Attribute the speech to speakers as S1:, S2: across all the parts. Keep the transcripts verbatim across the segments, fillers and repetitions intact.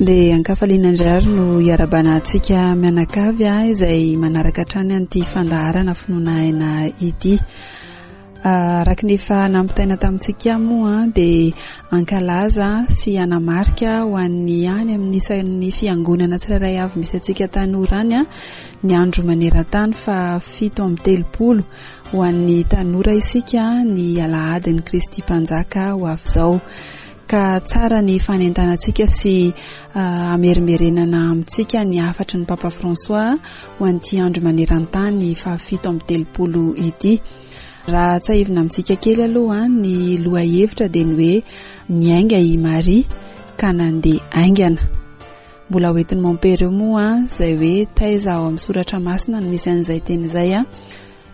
S1: Dia ankafaliana indray ary no hiarabana antsika mianakavy izay manaraka hatrany an'ity fandaharana finoana aina ity. Araka ny efa nampitaina tamintsika moa dia ankalaza sy hanamarika ho an'ny any amin'ny isan'ny fiangonana tsirairay avy misy antsika tanora any ny andro maneran-tany fa fito amby telopolo ho an'ny tanora isika ny alahadin'ny Kristy Mpanjaka ho avy izao. Ka tsara ny fanentanantsika sy amerimerenana amintsika ny hafatry ny Papa François ho an'ity andro maneran-tany fahafito amby telopolo ity. Raha tsahivina amintsika kely aloha ny lohahevitra dia ny hoe niainga i Maria ka nandeha haingana. Mbola hoentin'ny mompera eo moa izay hoe taiza ao amin'ny soratra masina no misy an'izay teny izay a.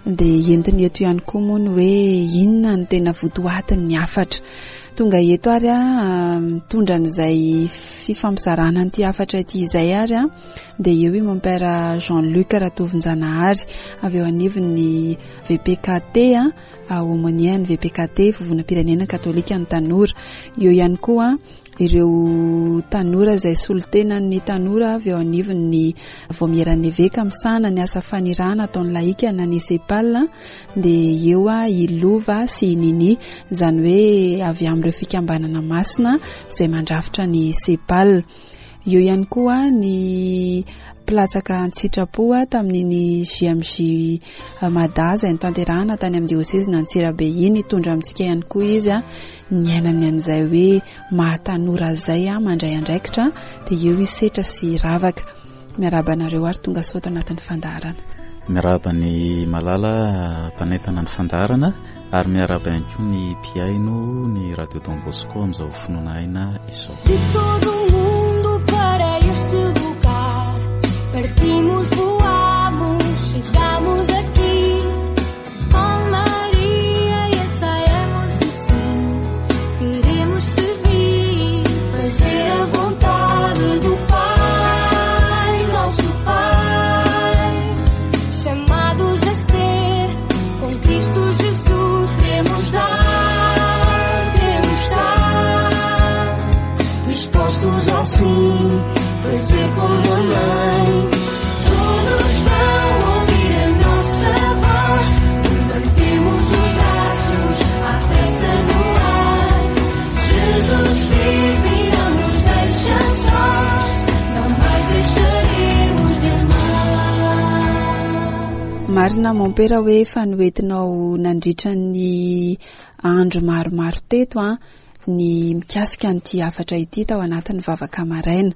S1: Dia entiny eto ihany koa moa ny hoe inona no tena votoatin'ny hafatra. Tonga eto ary a mitondra an'izay fifampizarana an'ity hafatra ity izay ary a dia eo i mompera Jean-Luc Ratovinjanahary avy eo anivon'ny V P K T a aumônier ny V P K T Vovonam-pirenena Katolika ny tanora. Eo ihany koa ireo tanora izay solontenan'ny tanora avy eo anivon'ny Vaomieran'ny Eveka misahana ny asa fanirahana ataon'ny laika na ny SEPAL dia eo a i Lova sy i Nini, izany hoe avy amin'ireo fikambanana masina izay mandrafitra ny SEPAL. Eo ihany koa ny mpilatsaka an-tsitrapo tamin'iny J M J Mada izay notanterahana tany amin'ny diosezina Antsirabe iny. Hitondra amintsika ihany koa izy a niainany an'izay hoe mahatanora izay a mandray andraikitra, dia eo i Setra sy Ravaka. Miarahaba anareo ary tonga soa ato anatin'ny fandaharana.
S2: Miarahaba ny Malala mpanentana ny fandaharana ary miarahaba ihany koa ny mpihaino ny Radio Dom Bosco amin'izao finoana aina izao.
S3: De todo o mundo para este lugar partimos, voamos, chegamos aqui com Maria e ensaiamos o sim. Queremos servir, fazer a vontade do Pai, nosso Pai, chamados a ser com Cristo Jesus. Queremos dar, queremos estar dispostos ao sim, fazer como a mãe. Todos vão ouvir a nossa voz, levantemos os braços à pressa no ar. Jesus vive e não nos deixa sós, não mais deixaremos de amar.
S1: Marina mompera hoe efa noentinao nandritra ny andro maromaro teto a ny mikasika an'ity hafatra ity tao anatin'ny vavaka maraina.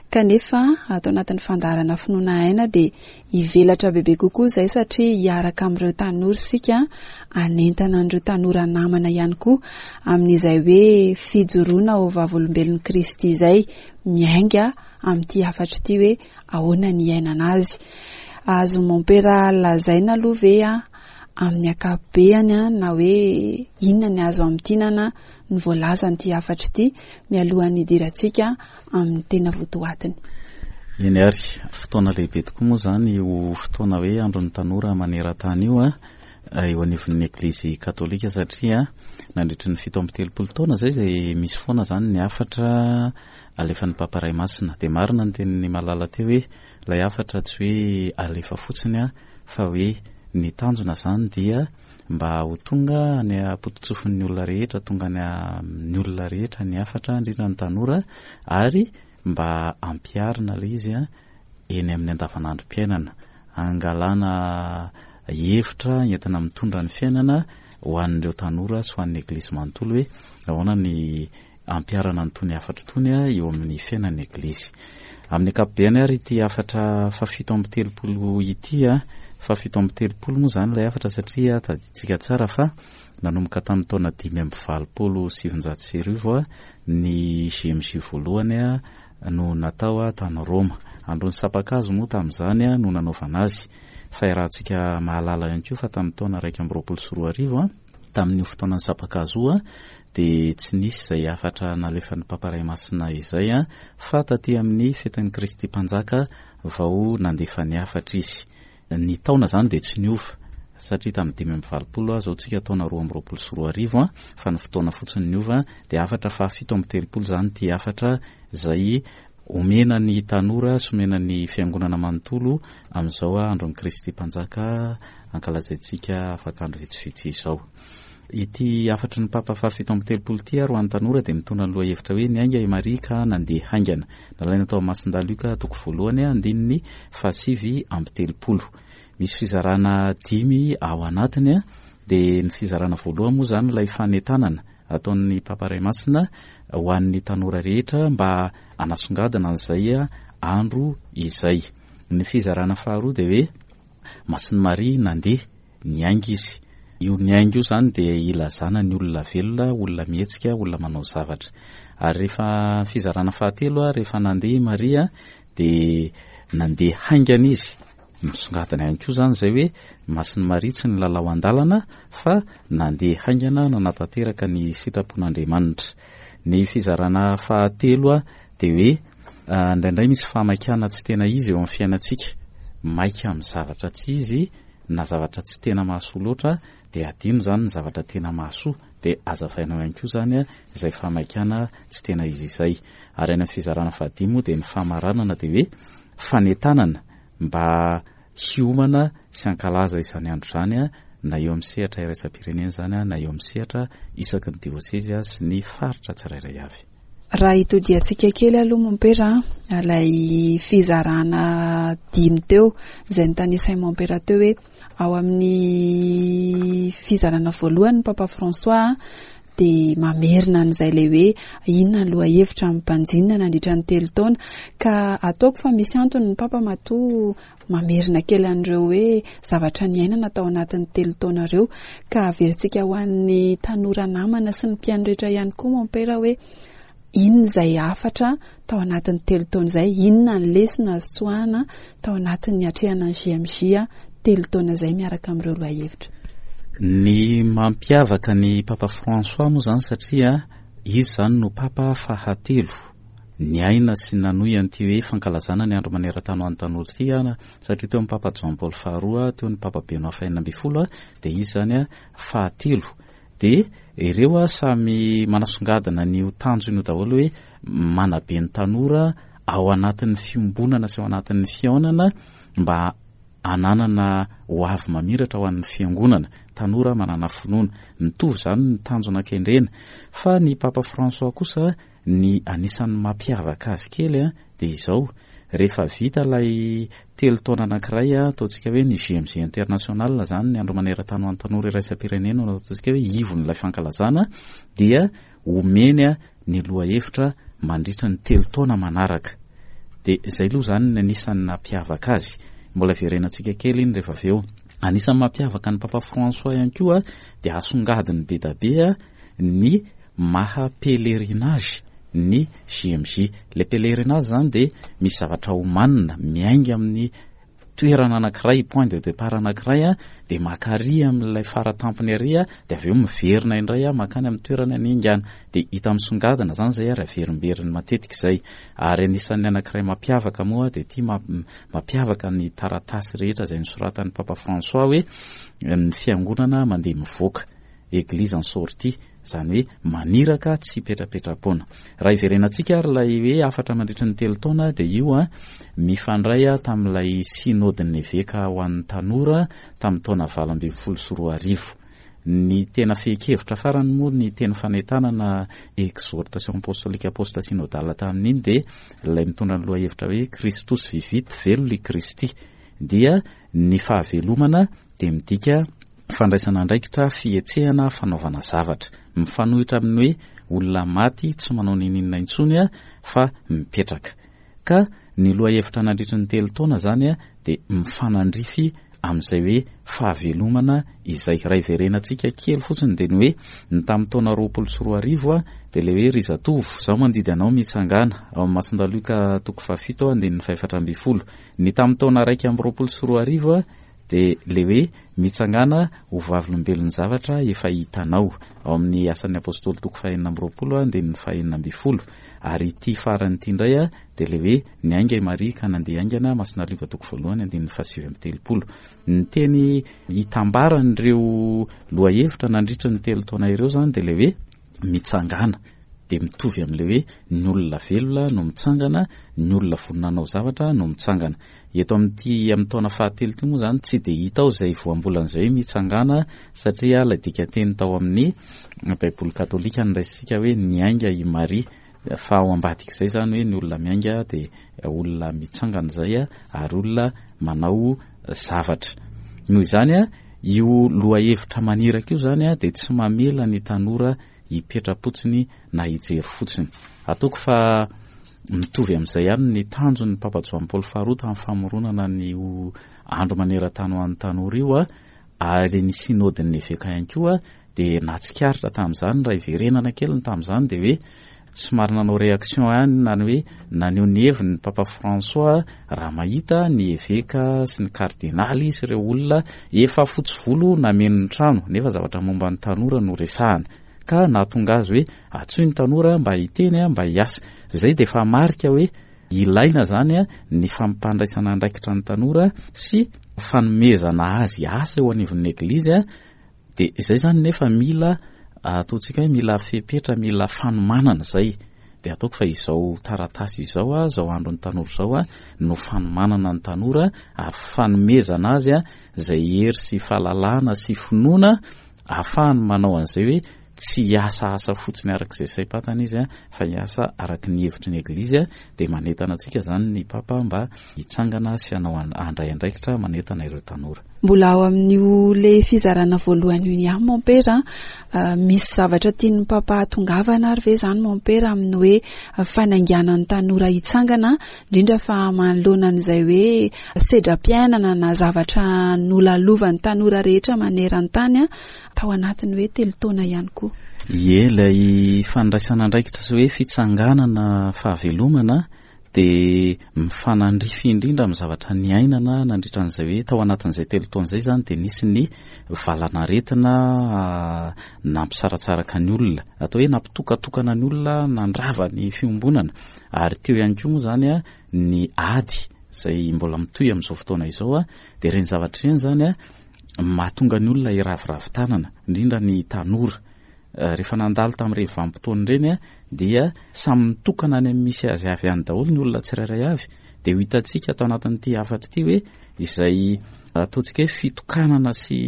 S1: Kanefa ato anatin'ny fandaharana finoana aina dia hivelatra bebe kokoa izay satria hiaraka amin'ireo tanora isika hanentana an'ireo tanora namana ihany koa amin'izay hoe fijoroana ho vavolombelon'i Kristy izay miainga amin'ity hafatra ity hoe ahoana ny iainana azy. Azo mompera lazaina aloha ve a amin'ny ankapobeny a na hoe inona ny azo amintinana ny voalazan'ity hafatra ity mialohan'ny hidirantsika amin'ny tena votoatiny?
S2: Eny ary, fotoana lehibe tokoa moa izany io fotoana hoe andron'ny tanora maneran-tany io a eo anivon'ny Eglizy Katolika satria nandritra ny fito amby telopolo taona izay izay misy foana izany ny hafatra alefan'ny Papa Ray Masina. Dia marina ny tenin'ny Malala teo hoe ilay hafatra tsy hoe alefa fotsiny a fa hoe ny tanjona izany dia mba ho tonga any am-pototsofin'ny olona rehetra, tonga any amin'ny olona rehetra ny hafatra, indrindra ny tanora, ary mba ampiharina ilay izy a eny amin'ny andavanandrom-piainana, angalana hevitra entina mitondra ny fiainana ho an'ireo tanora sy ho an'ny Eglizy manontolo hoe ahoana ny ampiharana an'itony hafatra itony a eo amin'ny fiainan'ny Eglizy. Amin'ny ankapobeny ary ity hafatra fahafito amby telopolo ity a, fahafito amby telopolo moa izany ilay hafatra satria tadidintsika tsara fa nanomboka tamin'ny taona dimy amby valopolo sivinjato sy arivo a ny J M J voalohany a no natao a tany Roma. Andron'ny sampan-kazo moa tamin'izany a no nanaovana azy. Fa iarahantsika mahalala ihany koa fa tamin'ny taona iraika amby roapolo sy roa arivo a tamin'io fotoanan'ny sampan-kazo io a dia tsy nisy izay hafatra nalefan'ny Papa Ray Masina izay a fa taty amin'ny fetin'i Kristy Mpanjaka vao nandefa ny hafatra izy. Ny taona izany dia tsy niova satria tamin'ny dimy amby valopolo a, izao tsika taona roa amby roapolo sy roa arivo a, fa ny fotoana fotsiny niova dia hafatra fahafito amby telopolo izany ity hafatra izay omena ny tanora sy omena ny fiangonana manontolo amin'izao andron'i Kristy Mpanjaka ankalazaintsika afaka andro vitsivitsy izao. Ity hafatry ny Papa fahafito amby telopolo ity ary ho an'ny tanora dia mitondra ny lohahevitra hoe niainga i Maria ka nandeha haingana. Nalaina tao amin'ny Masindahy Lioka toko voalohany andininy fahasivy amby telopolo. Misy fizarana dimy ao anatiny, dia ny fizarana voalohany moa izany ilay fanentanana ataon'ny Papa Ray Masina ho an'ny tanora rehetra mba hanasongadina an'izay andro izay. Ny fizarana faharoa dia hoe Masin'i Maria nandeha, niainga izy. Io niainga io izany dia ilazana ny olona velona, olona mihetsika, olona manao zavatra. Ary rehefa fizarana fahatelo, rehefa nandeha i Maria dia nandeha haingana izy. Misongadina ihany koa izany izay hoe Masin'i Maria tsy nilalao an-dalana fa nandeha haingana nanatanteraka ny sitrapon'Andriamanitra. Ny fizarana fahatelo dia hoe indraindray misy fahamaikana tsy tena izy eo amin'ny fiainantsika. Maika amin'ny zavatra tsy izy na zavatra tsy tena mahasoa loatra dia adino izany ny zavatra tena mahasoa, dia azavainao ihany koa izany izay fahamaikana tsy tena izy izay. Ary any amin'ny fizarana fahadimy moa dia ny famaranana dia hoe fanentanana mba hiomana sy hankalaza izany andro izany na eo amin'ny sehatra iraisam-pirenena izany na eo amin'ny sehatra isaky ny diosezy sy ny faritra tsirairay avy.
S1: Raha hitodiantsika kely aloha mompera, ilay fizarana dimy teo izay notanisain'i mompera teo hoe ao amin'ny fizarana voalohany ny Papa François dia mamerina an'izay ilay hoe inona ny lohahevitra mibanjinina nandritra ny telo taona, ka ataoko fa misy antony ny Papa matoa mamerina kely an'ireo hoe zavatra niainana tao anatin'ny telo taona ireo, ka averintsika ho an'ny tanora namana sy ny mpihaino rehetra ihany koa mompera hoe inona izay hafatra tao anatin'ny telo taona izay, inona ny lesona azo tsoahana tao anatin'ny atrehana ny J M J telo taona izay miaraka amin'ireo lohahevitra.
S2: Ny mampiavaka ny Papa François moa izany satria izy izany no Papa fahatelo niaina sy nanohy an'ity hoe fankalazana ny andro maneran-tany ho an'ny tanora ity, satria teo amin'ny Papa Jean Paul faharoa, teo ny Papa Benoît fahenina ambin'ny folo, dia izy izany fahatelo. Dia ireo samy manasongadina ny tanjona io daholo hoe manabe ny tanora ao anatin'ny fiombonana sy ao anatin'ny fihaonana mba ananana ho avy mamiratra ho an'ny fiangonana, tanora manana finoana. Mitovy izany ny tanjona kendrena. Fa ny Papa François kosa ny anisan'ny mampiavaka azy kely dia izao, rehefa vita ilay telo taona anankiray, ataontsika hoe ny J M J International izany, ny andro maneran-tany ho an'ny tanora iraisam-pirenena, ataontsika hoe ivon'ilay fankalazana, dia omeny ny lohahevitra mandritra ny telo taona manaraka. Dia izay aloha izany ny anisan'ny nampiavaka azy. Mbola verenantsika kely iny rehefa avy eo. Anisan'ny mampiavaka ny Papa François ihany koa dia asongadiny be dia be ny maha pèlerinage ny J M J. Ilay pèlerinage izany dia misy zavatra homanina miainga amin'ny toerana anankiray, point de départ anankiray, dia maka ary amin'ilay faratampony ary, dia avy eo miverina indray makany amin'ny toerana niaingana. Dia hita misongadina izany izay ary averimberiny matetika izay. Ary anisan'ny anankiray mampiavaka moa dia ity mampiavaka ny taratasy rehetra izay nosoratan'ny Papa François hoe ny fiangonana mandeha mivoaka, église en sortie, izany hoe maniraka tsy hipetrapetra-poana. Raha hiverenantsika ary ilay hoe hafatra mandritra ny telo taona dia io a mifandray a tamin'ilay synodin'ny eveka ho an'ny tanora tamin'ny taona valo ambin'ny folo sy roa arivo. Ny tena fehin-kevitra farany moa ny teny fanentanana exhortation apostolique post synodale tamin'iny dia ilay mitondra ny lohahevitra hoe Christus vivit, velona i Kristy. Dia ny fahavelomana dia midika fandraisana andraikitra, fihetsehana, fanaovana zavatra. Mifanohitra amin'ny hoe olona maty tsy manao n'inon'inona intsony fa mipetraka. Ka ny lohahevitra nandritra ny telo taona izany dia mifanandrify amin'izay hoe fahavelomana izay. Raha hiverenantsika kely fotsiny dia ny hoe ny tamin'ny taona roapolo sy roa arivo dia ilay hoe ry zatovo, izaho mandidy anao mitsangana ao amin'ny Masindahy Lioka toko fahafito andininy fahefatra ambin'ny folo. Ny tamin'ny taona iraika amby roapolo sy roa arivo dia ilay hoe mitsangana ho vavolombelon'ny zavatra efa hitanao ao amin'ny asan'ny apôstôly toko fahenina amby roapolo andininy fahenina ambin'ny folo. Ary ity farany ity indray dia ilay hoe niainga i Maria ka nandeha haingana, Masina Lioka toko voalohany andininy fahasivy amby telopolo. Ny teny hitambaran'ireo lohahevitra nandritra ny telo taona ireo izany dia ilay hoe mitsangana, dia mitovy amin'ilay hoe ny olona velona no mitsangana, ny olona vonona hanao zavatra no mitsangana. Eto amin'ity amin'ny taona fahatelo ity moa izany tsy dia hita ao izay voambolana izay hoe mitsangana, satria ilay dikanteny tao amin'ny Baiboly katolika noraisintsika hoe niainga i Maria, fa ao ambadik'izay izany hoe ny olona miainga dia olona mitsangana izay ary olona manao zavatra. Noho izany io lohahevitra maniraka io izany dia tsy mamela ny tanora hipetra-potsiny na hijery fotsiny. Ataoko fa mitovy amin'izay ihany ny tanjon'ny Papa Joany Paoly faharoa tamin'ny famoronana ny andro maneran-tany ho an'ny tanora io, ary ny sinodin'ny eveka ihany koa dia nahatsikaritra tamin'izany. Raha hiverenana kely ny tamin'izany dia hoe somary nanao réaction ihany, na ny hoe naneho ny heviny ny Papa François raha mahita ny eveka sy ny kardinaly sy ireo olona efa fotsy volo nameno ny trano, nefa zavatra momba ny tanora no resahana, ka nahatonga azy hoe antsoy ny tanora mba hiteny, mba hiasa. Izay dia efa marika hoe ilaina zany ny fampandraisana andraikitra ny tanora sy fanomezana azy asa eo anivon'ny eglizy. Dia izay zany nefa mila ataontsika hoe mila fepetra, mila fanomanana izay. Dia ataoko fa izao taratasy izao, izao andron'ny tanora izao no fanomanana ny tanora ary fanomezana azy izay hery sy fahalalana sy finoana ahafahany manao an'izay hoe tsy hiasa asa fotsiny araka izay saim-patana izy, fa hiasa araka ny hevitry ny eglizy. Dia manentana antsika zany ny Papa mba hitsangana sy hanao handray andraikitra manentana ireo tanora.
S1: Mbola ao amin'io le fizarana voalohany io ihany mompera, misy zavatra tian'ny Papa hahatongavana ary ve zany mompera amin'ny hoe fanainganana ny tanora hitsangana, indrindra fa manoloana an'izay hoe sedram-piainana na zavatra nolalovan'ny tanora rehetra maneran-tany tao anatin'ny hoe telo taona ihany koa?
S2: Ie, ilay fandraisana andraikitra sy hoe fitsanganana fahavelomana dia mifanandrify indrindra amin'ny zavatra niainana nandritra an'izay hoe tao anatin'izay telo taona izay zany dia nisy ny valanaretina nampisaratsaraka ny olona, atao hoe nampitokatokana ny olona, nandrava ny fiombonana, ary teo ihany koa moa zany ny ady izay mbola mitohy amin'izao fotoana izao. Dia ireny zavatra ireny zany mahatonga ny olona hiraviravy tanana, indrindra ny tanora. Rehefa nandalo tamin'ireny vanim-potoana ireny dia samy mitokana any amin'ny misy azy avy any daholo ny olona tsirairay avy. Dia ho hitantsika tao anatin'ity hafatra ity hoe izay ataontsika hoe fitokanana sy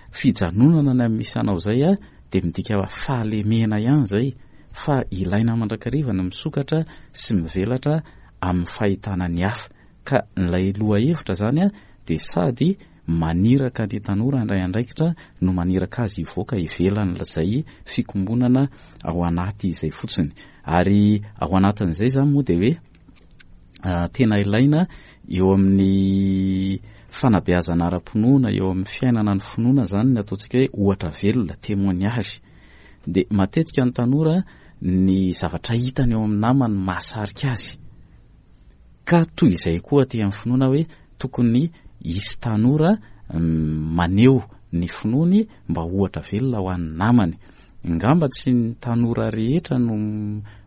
S2: fijanonana any amin'ny misy anao izay dia midika fahalemena ihany izay, fa ilaina mandrakariva ny misokatra sy mivelatra amin'ny fahitana ny hafa. Ka ilay lohahevitra zany dia sady maniraka ny tanora handray andraikitra no maniraka azy hivoaka ivelan'izay fikombonana ao anaty izay fotsiny. Ary ao anatin'izay zany moa dia hoe tena ilaina eo amin'ny fanabeazana ara-pinoana, eo amin'ny fiainana ny finoana zany ny ataontsika hoe ohatra velona, témoignage. Dia matetika ny tanora ny zavatra hitany eo amin'ny namany mahasarika azy, ka toy izay koa aty amin'ny finoana hoe tokony hisy tanora maneho ny finoany mba ohatra velona ho an'ny namany. Angamba tsy ny tanora rehetra no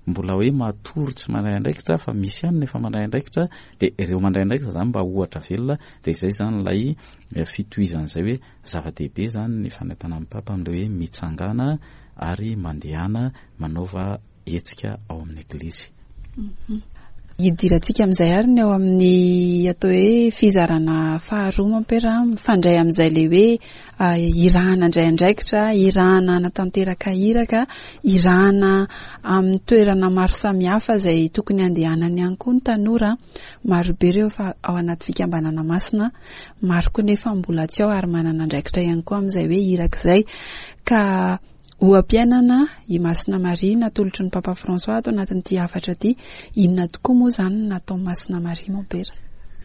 S2: mbola hoe matory tsy mandray andraikitra, fa misy ihany nefa mandray andraikitra. Dia ireo mandray andraikitra zany mba ohatra velona. Dia izay zany ilay fitohizan'izay hoe zava-dehibe zany ny fanentanana ny Papa amin'ilay hoe mitsangana ary mandehana manaova hetsika ao amin'ny eglizy.
S1: Hidirantsika amin'izay ary ny ao amin'ny atao hoe fizarana faharoa mompera, mifandray amin'izay le hoe irahana handray andraikitra, irahana hanatanteraka iraka, irahana amin'ny toerana maro samihafa izay tokony handehanany ihany koa ny tanora. Maro be ireo fa ao anaty fikambanana masina, maro koa nefa mbola tsy ao ary manana andraikitra ihany koa amin'izay hoe iraka izay. Ka oha-piainana i Masina Maria natolotry ny Papa François ato anatin'ity hafatra ity. Inona tokoa moa izany no natao Masina Maria mompera?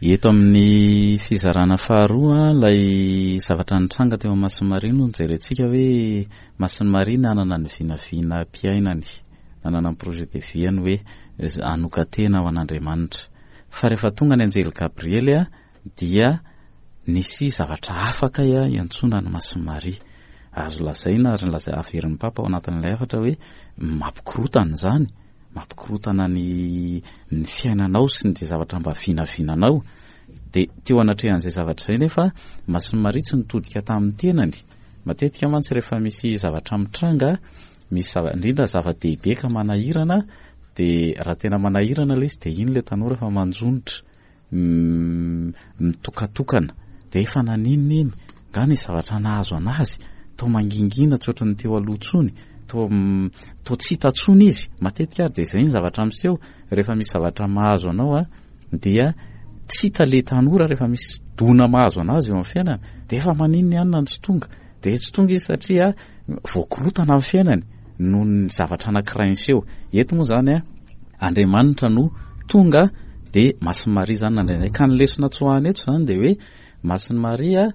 S2: Eto amin'ny fizarana faharoa ilay zavatra nitranga teo amin'ny Masina Maria no nijerentsika hoe Masina Maria nanana ny vinavina-piainany, nanana ny projet de vie-ny hoe hanokan-tena ho an'Andriamanitra. Fa rehefa tonga ny anjely Gabriely dia nisy zavatra hafa kay iantsoana ny Masina Maria. Azo lazaina ary nilazai-, averin'ny Papa ao anatin'ilay hafatra hoe mampikorotana izany, mampikorotana ny, ny fiainanao sy ny zavatra mba vinavinanao. Dia teo anatrehan'izay zavatra izay nefa Masina Maria tsy nitodika tamin'ny tenany. Matetika mantsy rehefa misy zavatra mitranga misy zava, indrindra zava-dehibe ka manahirana, dia raha tena manahirana ilay izy dia iny ilay tanora efa manjonitra, mitokatokana, dia efa naninona iny, nga nisy zavatra nahazo anazy, toa mangingina tsy ohatran'ny teo aloha intsony, toa, toa tsy hita intsony izy. Matetika ary dia izay ny zavatra miseho rehefa misy zavatra mahazo anao a, dia tsy hita ilay tanora rehefa misy dona mahazo anazy eo amin'ny fiainana, dia efa maninona ihany na tsy tonga, dia tsy tonga izy satria voakorotana amin'ny fiainany noho ny zavatra anankiray niseho. Eto moa izany a, Andriamanitra no tonga dia Masin'i Maria izany nandray anay. Ka ny lesona tsoahana eto izany dia hoe Masin'i Maria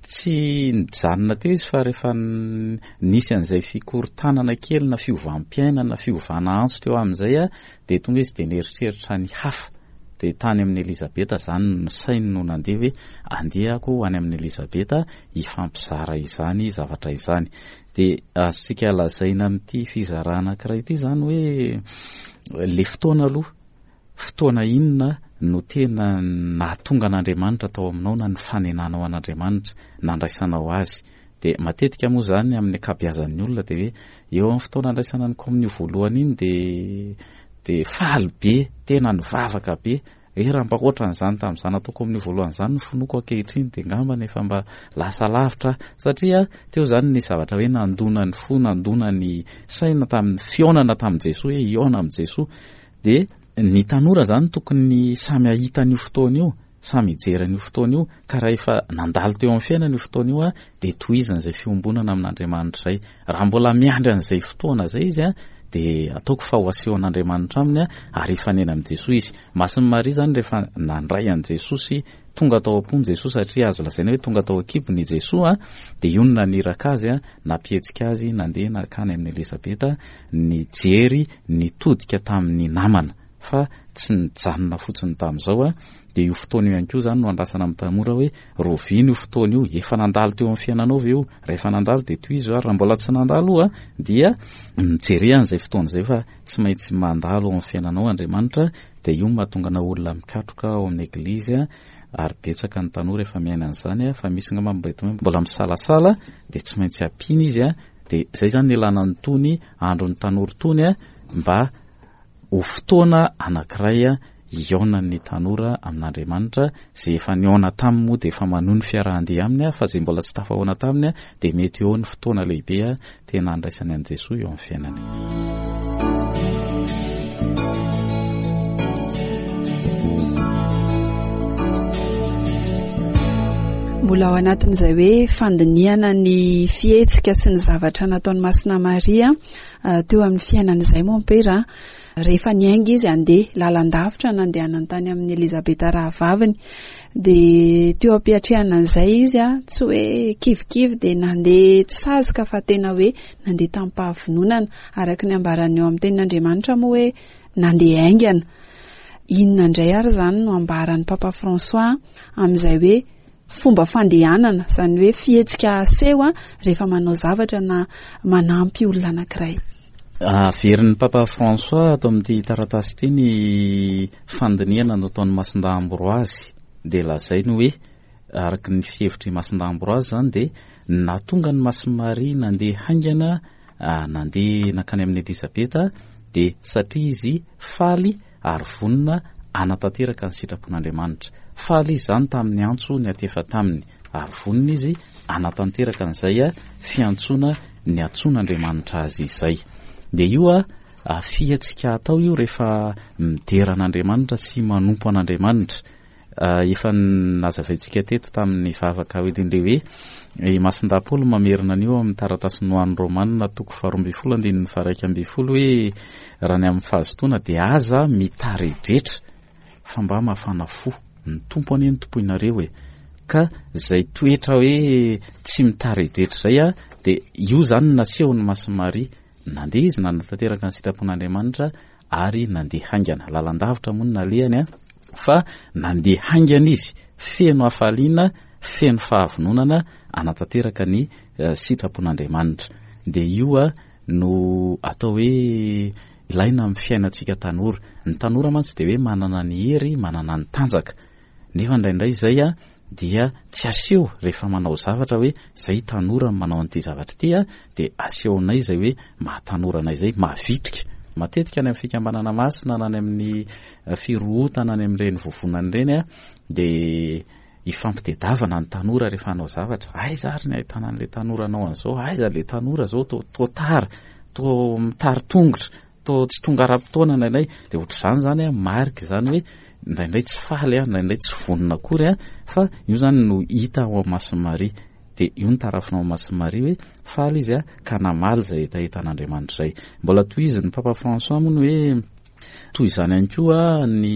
S2: tsy nijanona teo izy fa rehefa nisy an'izay fikorontanana kely na fiovam-piainana na fiovana antso teo amin'izay a, dia tonga izy dia nieritreritra ny hafa. Dia tany amin'i Elizabeta izany ny sainy no nandeha hoe andeha aho ho any amin'i Elizabeta hifampizara izany zavatra izany. Dia azontsika lazaina amin'ity fizarana anankiray ity izany hoe le fotoana aloha, fotoana inona no tena nahatonga an'Andriamanitra tao aminao na nifanenanao an'Andriamanitra, nandraisanao azy. Dia matetika moa izany amin'ny ankabeazan'ny olona dia hoe eo amin'ny fotoana andraisana ny komonio voalohany iny dia, dia faly be, tena nivavaka be. Hoe raha mba ohatran'izany tamin'izany natao komonio voalohany izany ny finoako ankehitriny dia angambany efa mba lasa lavitra aho. Satria teo izany ny zavatra hoe nandona ny fo, nandona ny saina tamin'ny fihaonana tamin'i Jesoa, hoe hihaona amin'i Jesoa. Dia ny tanora izany tokony samy hahita an'io fotoana io, samy hijery an'io fotoana io, ka raha efa nandalo teo amin'ny fiainana io fotoana io, dia tohizana izay fiombonana amin'Andriamanitra izay. Raha mbola miandry an'izay fotoana izay izy, dia ataoko fa ho asehon'Andriamanitra aminy ary hifanena amin'i Jesoa izy. Masin'i Maria izany rehefa nandray an'i Jesoa sy tonga tao am-pony Jesoa, satria azo lazaina hoe tonga tao an-kibony i Jesoa, dia io no naniraka azy, nampihetsika azy nandeha nankany amin'i Elizabeta, nijery nitodika tamin'ny namana fa tsy nijanona fotsiny tamin'izao. Dia io fotoana io ihany koa izany no andrasana amin'ny tanora hoe roviana io fotoana io, efa nandalo teo amin'ny fiainanao ve io? Rehefa nandalo dia tohizo, ary raha mbola tsy nandalo io dia mijere an'izay fotoana izay fa tsy maintsy mandalo ao amin'ny fiainanao Andriamanitra. Dia io no mahatonga anao olona mikatroka ao amin'ny eglizy, ary betsaka ny tanora efa miaina an'izany, fa misy angamba mbola misalasala dia tsy maintsy ampiana izy. Dia izay izany ny ilana an'itony andron'ny tanora itony, mba ho fotoana anankiray hihaonan'ny tanora amin'Andriamanitra. Izay efa nihaona taminy moa dia efa manohy ny fiarahan-dia aminy, fa izay mbola tsy tafahaona taminy dia mety eo ny fotoana lehibe tena handraisany an'i Jesoa eo amin'ny fiainany.
S1: Mbola ao anatin'izay hoe fandinihana ny fihetsika sy ny zavatra nataon'i Masina Maria teo amin'ny fiainana izay, mompera, rehefa niainga izy handeha lalan-davitra nandehanany tany amin'i Elizabeta rahavaviny, dia teo am-piatrehana an'izay izy, tsy hoe kivikivy dia nandeha tsy sazoka fa tena hoe nandeha tamim-pahavononana, araka ny ambarany eo amin'ny tenin'Andriamanitra moa hoe nandeha haingana. Inona indray ary izany no ambaran'ny Papa François amin'izay hoe fomba fandehanana, izany hoe fihetsika aseho rehefa manao zavatra na manampy olona anankiray?
S2: Averin'ny Papa François ato amin'ity taratasy ity ny fandinihana nataon'i Masindahy Ambroise. Dia lazainy hoe araka ny fihevitr'i Masindahy Ambroise izany dia nahatonga ny Masin'i Maria nandeha haingana, nandeha nankany amin'i Elizabeta, dia satria izy faly ary vonona hanatanteraka ny sitrapon'Andriamanitra. Faly izy izany tamin'ny antso niantefa taminy, ary vonona izy hanatanteraka an'izay fiantsoana niantsoan'Andriamanitra azy izay. Dia io fihetsika atao io rehefa midera an'Andriamanitra sy manompo an'Andriamanitra. Efa nazavaintsika teto tamin'ny vavaka hoe indray hoe i Masindahy Paoly mamerina an'io amin'ny taratasiny ho an'ny Romana toko faharoa ambin'ny folo andininy faha-iraika ambin'ny folo hoe raha ny amin'ny fahazotoana dia aza mitaredretra fa mba mafana fo, ny Tompo anie no tompoinareo e. Ka izay toetra hoe tsy mitaredretra izay a, dia io izany no nasehon'i Masin'i Maria. Nandeha izy nanatanteraka ny sitrapon'Andriamanitra ary nandeha haingana. Lalan-davitra moa no nalehany a, fa nandeha haingana izy, feno hafaliana, feno fahavononana hanatanteraka ny sitrapon'Andriamanitra. Dia io a no atao hoe ilaina amin'ny fiainantsika tanora. Ny tanora mantsy dia hoe manana ny hery, manana ny tanjaka. Nefa indraindray izay a dia tsy aseho rehefa manao zavatra hoe zay tanora manao an'ity zavatra ity a, dia asehonay izay hoe mahatanora anay izay, mavitrika. Matetika any amin'ny fikambanana masina na any amin'ny firohotana any amin'ireny vovonana ireny a, dia ifampitedavana ny tanora rehefa hanao zavatra. Aiza ary ny ahitana an'ilay tanora anao an'izao? Aiza ilay tanora zao to to tara, to mitari-tongotra, to tsy tonga ara-potoana indraindray. Dia ohatr'izany zany a, marika izany hoe indraindray tsy faly a, indraindray tsy vonona akory a, fa io zany no hita ao amin'ny Masin'i Maria. Dia io no tarafina ao amin'ny Masin'i Maria hoe faly izy a, ka namaly izay hetahetan'Andriamanitra izay. Mbola tohizin'ny Papa François moa ny hoe toy izany ihany koa ny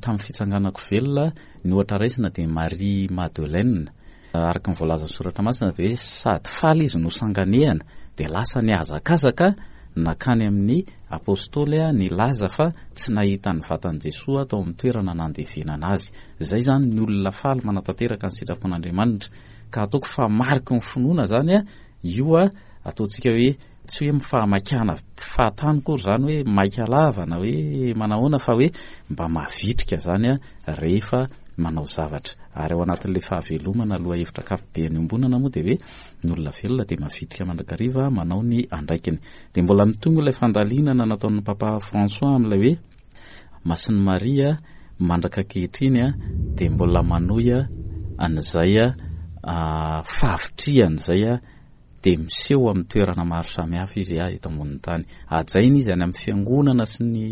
S2: tamin'ny fitsanganako velona, ny ohatra raisina dia Marie Madeleine. Araka ny voalazan'ny soratra masina dia hoe sady faly izy no sanganehana, dia lasa nihazakazaka nakany amin'ny apôstôly nilaza fa tsy nahita ny vatan'i Jesoa tao amin'ny toerana nandevenana azy. Izay zany ny olona faly manatanteraka ny sitrapon'Andriamanitra. Ka ataoko fa mariky ny finoana zany a, io a, ataontsika hoe tsy hoe mifahamaikana fahatany kory zany hoe maika lava na hoe manahoana, fa hoe mba mavitrika zany a rehefa manao zavatra. Ary ao anatin'ilay fahavelomana lohahevitra ankapobeny iombonana moa dia hoe ny olona velona dia mavitrika mandrakariva manao ny andraikiny. Dia mbola mitombo ilay fandalinana nataon'ny Papa François amin'ilay hoe Masin'i Maria mandraka ankehitriny a, dia mbola manohy an'izay a, fahavitrihana izay a, dia miseho amin'ny toerana maro samihafa izy a eto ambonin'ny tany. Hajaina izy any amin'ny fiangonana sy ny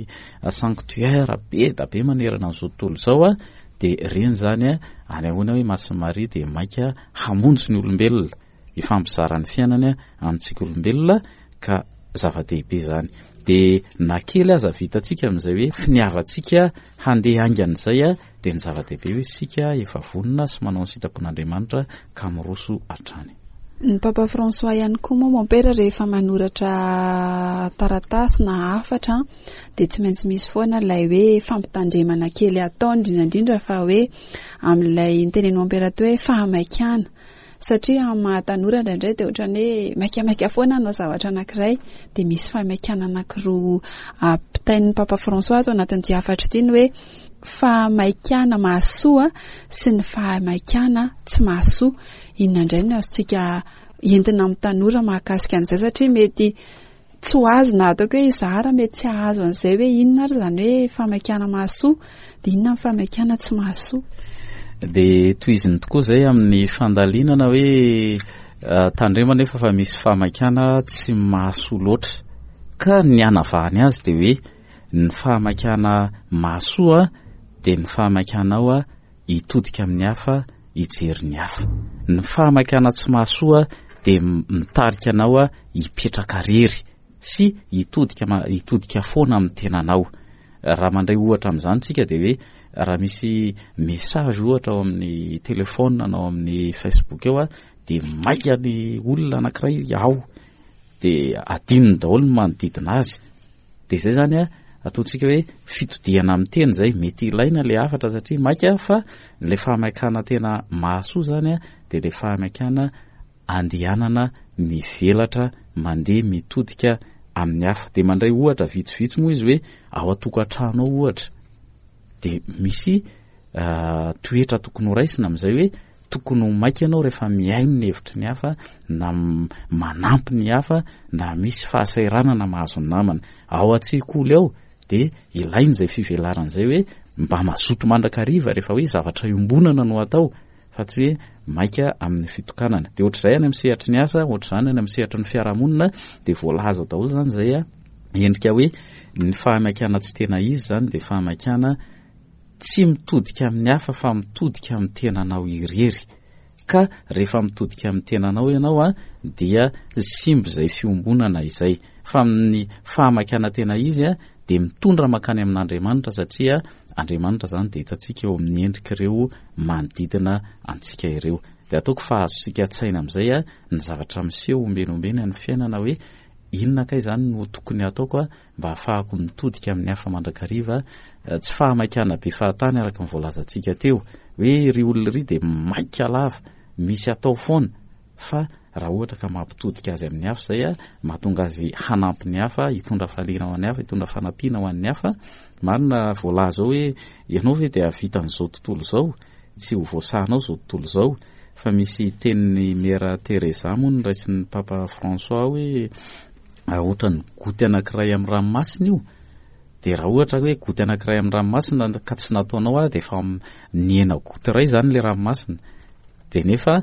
S2: sanctuaire be da be manerana an'izao tontolo izao a, dia ireny zany a, any ahoana hoe Masin'i Maria dia maika hamonjy ny olombelona, hifampizara ny fiainany amintsika olombelona, ka zava-dehibe zany. Dia na kely aza vitantsika amin'izay hoe finiavantsika handeha haingana izay a, dia ny zava-dehibe hoe isika efa vonona sy manao ny sitrapon'Andriamanitra ka miroso hatrany.
S1: Ny Papa François ihany koa moa mompera rehefa manoratra taratasy na hafatra dia tsy maintsy misy foana ilay hoe fampitandremana kely ataony, indrindra indrindra fa hoe amin'ilay nitenen'i mompera teo hoe fahamaikana, satria amin'ny maha tanora indraindray dia ohatran'ny hoe maikamaika foana hanao zavatra anankiray, dia misy fahamaikana anankiroa ampitain'ny Papa François ato anatin'ity hafatra ity, ny hoe fahamaikana mahasoa sy ny fahamaikana tsy mahasoa. Inona indray no azontsika entina amin'ny tanora mahakasika an'izay, satria mety tsy ho azo na ataoko hoe izaho raha mety tsy hahazo an'izay hoe inona ary izany hoe fahamaikana mahasoa, dia inona ny fahamaikana tsy mahasoa?
S2: Dia tohiziny tokoa izay amin'ny fandalinana hoe, eh, tandremo nefa fa misy fahamaikana tsy mahasoa loatra, ka ny hanavahany azy dia hoe ny fahamaikana mahasoa dia ny fahamaikanao a hitodika amin'ny hafa, hijery ny hafa. Ny fahamaikana tsy mahasoa dia mitarika anao a hipetraka rery sy hitodika ma-, hitodika foana amin'ny tenanao. Raha mandray ohatra amin'izany tsika dia hoe raha misy message ohatra ao amin'ny téléphone na ao amin'ny Facebook eo a, dia maika ny olona anankiray ao, dia adinony daholo ny manodidina azy. Dia izay zany a, ataontsika hoe fitodihana amin'ny tena izay, mety ilaina ilay hafatra satria maika, fa ilay fahamaikana tena mahasoa zany a, dia ilay fahamaikana andehanana mivelatra, mandeha mitodika amin'ny hafa. Dia mandray ohatra vitsivitsy moa izy hoe ao an-tokantrano ao ohatra, dia misy, ah, toetra tokony ho raisina amin'izay hoe tokony ho maika ianao rehefa mihaino ny hevitry ny hafa, na m-, manampy ny hafa, na misy fahasahiranana mahazo ny namana. Ao an-tsekoly ao dia ilaina izay fivelarana izay hoe mba mazoto mandrakariva rehefa hoe zavatra iombonana no atao, fa tsy hoe maika amin'ny fitokanana. Dia ohatr'izay any amin'ny sehatry ny asa, ohatr'izany any amin'ny sehatry ny fiarahamonina, dia voalaza daholo zany izay a, endrika hoe ny fahamaikana tsy tena izy zany dia fahamaikana tsy mitodika amin'ny hafa fa mitodika amin'ny tenanao irery. Ka rehefa mitodika amin'ny tenanao ianao a, dia simba izay fiombonana izay. Fa amin'ny fahamaikana tena izy a, dia mitondra mankany amin'Andriamanitra, satria Andriamanitra zany dia hitantsika eo amin'ny endrik'ireo manodidina antsika ireo. Dia ataoko fa azontsika an-tsaina amin'izay a, ny zavatra miseho ombeny ombeny amin'ny fiainana hoe inona kay zany no tokony hataoko a, mba hahafahako mitodika amin'ny hafa mandrakariva. Tsy fahamaikana be fahatany araka ny voalazantsika teo hoe ry olona ry dia maika lava, misy atao foana, fa raha ohatra ka mampitodika azy amin'ny hafa izay a, mahatonga azy hanampy ny hafa, hitondra fahaliana ho an'ny hafa, hitondra fanampiana ho an'ny hafa. Marina voalaza ao hoe ianao ve dia hahavita an'izao tontolo izao, tsy ho voasahanao izao tontolo izao. Fa misy tenin'ny Mère Teresa moa noraisin'ny Papa François hoe ohatran'ny goty anankiray amin'ny ranomasina io. Dia raha ohatra hoe goty anankiray amin'ny ranomasina ka tsy nataonao dia efa nihena goty iray izany ilay ranomasina. Dia nefa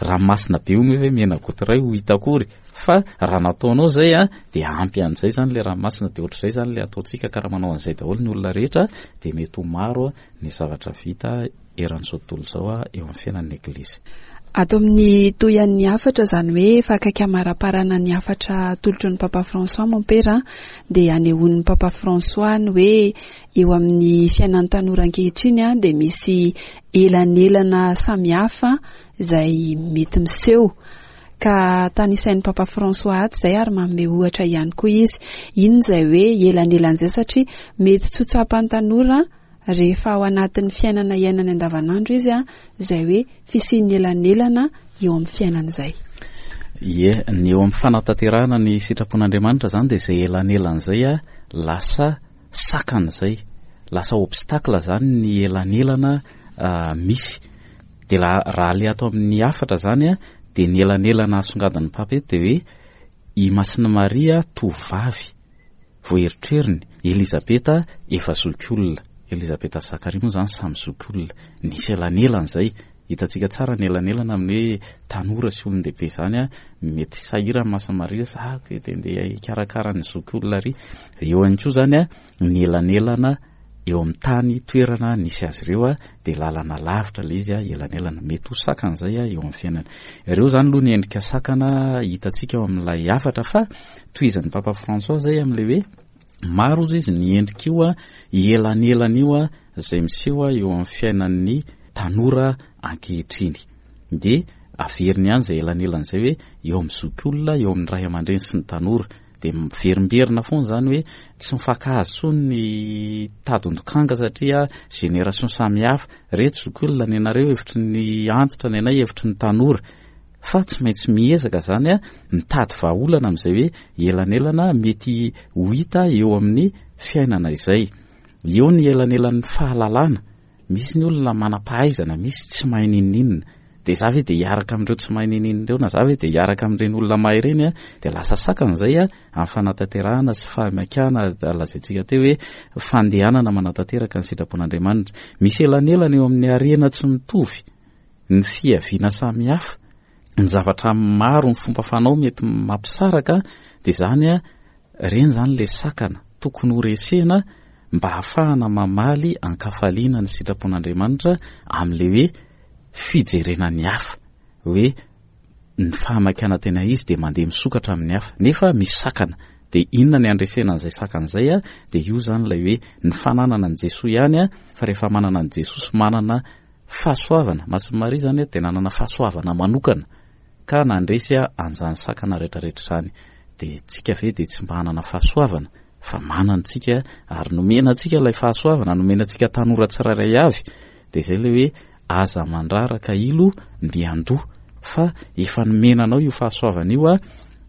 S2: ranomasina be io hoe mihena goty iray ho hita akory, fa raha nataonao izay a dia ampy an'izay izany ilay ranomasina. Dia ohatr'izay izany ilay ataontsika, ka raha manao an'izay daholo ny olona rehetra dia mety ho maro ny zavatra vita eran'izao tontolo izao a eo amin'ny fiainan'ny Eglizy.
S1: Ato amin'ny tohian'ny hafatra, izany hoe efa akaiky amaraparana ny hafatra atolotry ny Papa François mompera, dia anehoan'ny Papa François ny hoe eo amin'ny fiainan'ny tanora ankehitriny a dia misy elanelana samihafa izay mety miseho. Ka tanisain'ny Papa François ato izay ary manome ohatra ihany koa izy. Inona izay hoe elanelana izay, satria mety tsy ho tsapan'ny tanora rehefa ao anatin'ny fiainana iainany andavanandro izy a, izay hoe fisian'ny elanelana eo amin'ny fiainana izay.
S2: Ie, ny eo amin'ny fanatanterahana ny sitrapon'Andriamanitra izany dia izay elanelana izay a lasa sakana izay, lasa obstacle izany ny elanelana misy. Dia la-, raha le ato amin'ny hafatra izany a, dia ny elanelana asongadin'ny Papa eto dia hoe i Masina Maria tovovavy voaeritreriny, Elizabeta efa zokiolona, Elizabeta sy Zakaria moa izany samy zokiolona. Nisy elanelana izay, hitantsika tsara ny elanelana amin'ny hoe tanora sy olon-dehibe izany a, mety sahirana Masina Maria zako hoe dia ndeha hikarakara ny zokiolona ary. Eo ihany koa izany a, ny elanelana eo amin'ny tany toerana nisy azy ireo a, dia lalana lavitra ilay izy a, elanelana mety ho sakana izay a eo amin'ny fiainana. Ireo izany aloha ny endrika sakana hitantsika ao amin'ilay hafatra, fa tohizan'ny Papa François izay amin'ilay hoe maro ozy izy ny endrika io a, elanelana io a, izay miseho a eo amin'ny fiainan'ny tanora ankehitriny. Dia averiny ihany izay elanelana izay hoe eo amin'ny zokiolona, eo amin'ny ray aman-dreny sy ny tanora. Dia miverimberina foana izany hoe tsy mifankahazo intsony ny tadin-dokanga satria génération samihafa. Reto zokiolona ny anareo hevitry ny antitra, ny anay hevitry ny tanora. Fa tsy maintsy miezaka izany a mitady vahaolana amin'izay hoe elanelana mety ho hita eo amin'ny fiainana izay. Eo ny elanelan'ny fahalalana, misy ny olona manam-pahaizana, misy tsy mahay n'inon'inona. Dia za ve dia hiaraka amin'ireo tsy mahay n'inon'inona ireo, na za ve dia hiaraka amin'ireny olona mahay ireny a, dia lasa sakana izay a amin'ny fanatanterahana sy fahamaikana lazaintsika teo hoe fandehanana manatanteraka ny sitrapon'Andriamanitra. Misy elanelana eo amin'ny harena tsy mitovy, ny fiaviana samihafa, ny zavatra maro, ny fomba fanao mety mampisaraka, dia izany a, ireny izany ilay sakana tokony ho resena mba hahafahana mamaly an-kafaliana ny sitrapon'Andriamanitra amin'ilay hoe fijerena ny hafa, hoe ny fahamaikana tena izy dia mandeha misokatra amin'ny hafa, nefa misy sakana. Dia inona ny andresena an'izay sakana izay a? Dia io izany ilay hoe ny fananana an'i Jesoa ihany a, fa rehefa manana an'i Jesoa sy manana fahasoavana, Masina Maria izany a dia nanana fahasoavana manokana ka nandresy a an'izany sakana rehetrarehetra izany. Dia tsika ve dia tsy mba hanana fahasoavana? Fa manana antsika ary nomena antsika ilay fahasoavana, nomena antsika tanora tsirairay avy. Dia izay ilay hoe aza mandraraka ilo miandoha, fa efa nomena anao io fahasoavana io a,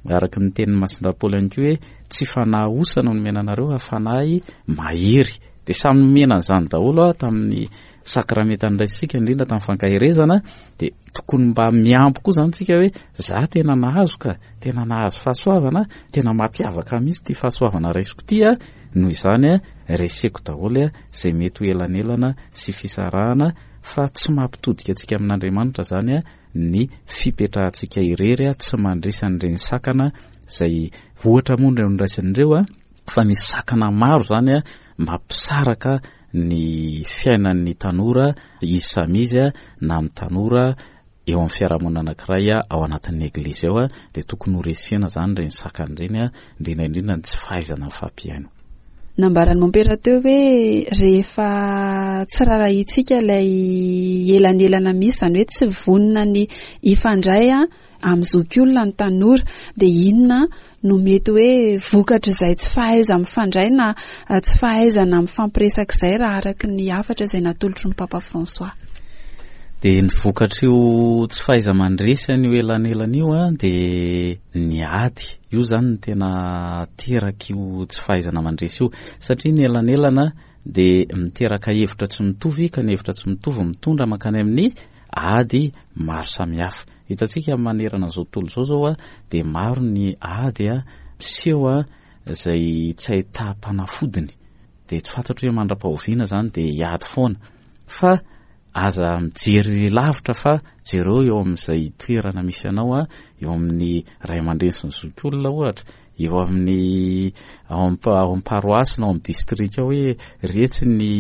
S2: araka ny tenin'ny Masina Paoly ihany koa hoe tsy fanahy osa no nomena anareo fa fanahy mahery. Dia samy nomena an'izany daholo a tamin'ny sakramenta niraisika, indrindra tamin'ny fankaherezana. Dia tokony mba miampy koa izany tsika hoe za tena nahazo ka, tena nahazo fahasoavana, tena mampiavaka mihitsy ity fahasoavana raisiko ity a, noho izany a reseko daholo a izay mety ho elanelana sy fisarahana, fa tsy mampitodika antsika amin'Andriamanitra izany a ny fipetrahantsika irery a, tsy mandresy an'ireny sakana izay ohatra moa ireo noraisin'ireo a, fa misy sakana maro izany a mampisaraka ny fiainan'ny tanora izy samy izy a, na amin'ny tanora eo amin'ny fiarahamonina anankiray a, ao anatin'ny eglizy ao a, dia tokony ho resena izany ireny sakana ireny a, indrindra indrindra ny tsy fahaizana mifampihaino.
S1: Nambaran'ny mompera teo hoe rehefa tsy rarahintsika ilay elanelana misy, izany hoe tsy vonona ny hifandray a amin'ny zokiolona ny tanora, dia inona no mety hoe vokatr'izay tsy fahaiza mifandray na tsy fahaizana mifampiresaka izay raha araka ny hafatra izay natolotry ny Papa François?
S2: Dia ny vokatr'io tsy fahaiza mandresy an'io elanelana io a, dia ny ady. Io izany no tena terak'io tsy fahaizana mandresy io, satria ny elanelana dia miteraka hevitra tsy mitovy, ka ny hevitra tsy mitovy mitondra mankany amin'ny ady maro samihafa. Hitantsika manerana izao tontolo izao izao a, dia maro ny ady a miseho a izay tsy ahitam-panafodiny. Dia tsy fantatro hoe mandra-pahoviana izany dia hiady foana. Fa aza mijery lavitra fa jereo eo amin'izay toerana misy anao a, eo amin'ny ray aman-dreny sy ny zokiolona ohatra, eo amin'ny ao amin'ny paroasy na ao amin'ny distrika ao hoe retsy ny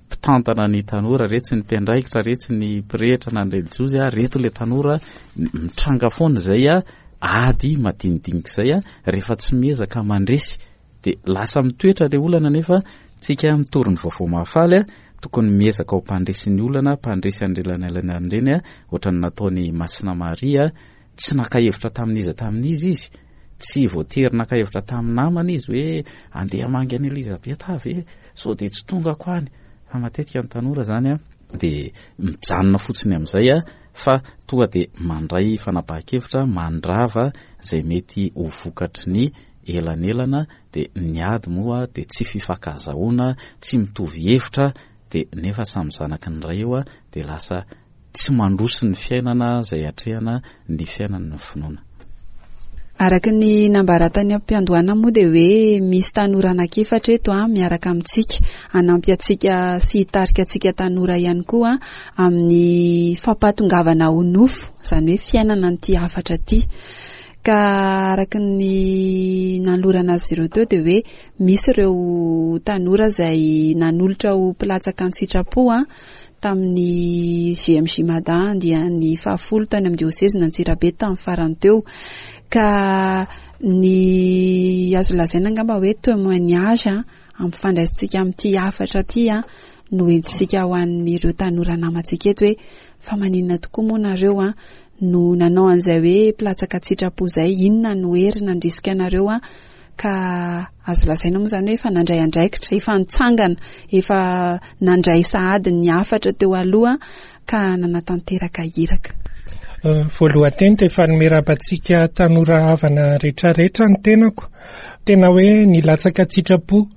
S2: mpitantana ny tanora, retsy ny mpiandraikitra, retsy ny mpirehitra na ny relijiozy a, reto ilay tanora. Mitranga foana izay a ady madinidinika izay a, rehefa tsy miezaka mandresy dia lasa mitoetra ilay olana. Nefa tsika mitory ny vaovao mahafaly a, tokony miezaka ho mpandresy ny olana, mpandresy an'ireny ireny a, ohatran'ny nataony Masina Maria. Tsy naka hevitra tamin'iza tamin'izy izy, tsy voatery naka hevitra tamin'ny namana izy hoe andeha hamangy an'i Elizabeth ve sao dia tsy tongako any. Fa matetika ny tanora zany a dia mijanona fotsiny amin'izay a, fa tonga dia mandray fanapahan-kevitra mandrava izay mety ho vokatry ny elanelana. Dia ny ady moa dia tsy fifankazahoana, tsy mitovy hevitra, dia nefa samy zanaky ny ray eo a, dia lasa tsy mandroso ny fiainana izay atrehana ny fiainana ny finoana.
S1: Araka ny nambara tany am-piandohana moa dia hoe misy tanora anankiefatra eto a miaraka amintsika, hanampy antsika sy hitarika antsika tanora ihany koa amin'ny fampahatongavana ho nofo, izany hoe fiainana an'ity hafatra ity. Ka araka ny nanolorana azy ireo teo dia hoe misy ireo tanora izay nanolotra ho mpilatsaka an-tsitrapo a tamin'ny G M J Mada andiany fahafolo tany amin'ny diôsezy Antsirabe tamin'ny farany teo. Ka ny azo lazaina angamba hoe témoignage a ampifandraisintsika amin'ity hafatra ity a no entintsika ho an'ireo tanora namantsika eto hoe fa maninona tokoa moa nareo a no nanao an'izay hoe mpilatsaka an-tsitrapo izay, inona no hery nandrisika anareo a? Ka azo lazaina moa izany hoe efa nandray andraikitra, efa nitsangana, efa nandray sahady ny hafatra teo aloha ka nanatanteraka iraka.
S4: Voalohany teny dia efa nomerabantsika tanora havana rehetrarehetra ny tenako. Tena hoe nilatsaka an-tsitrapo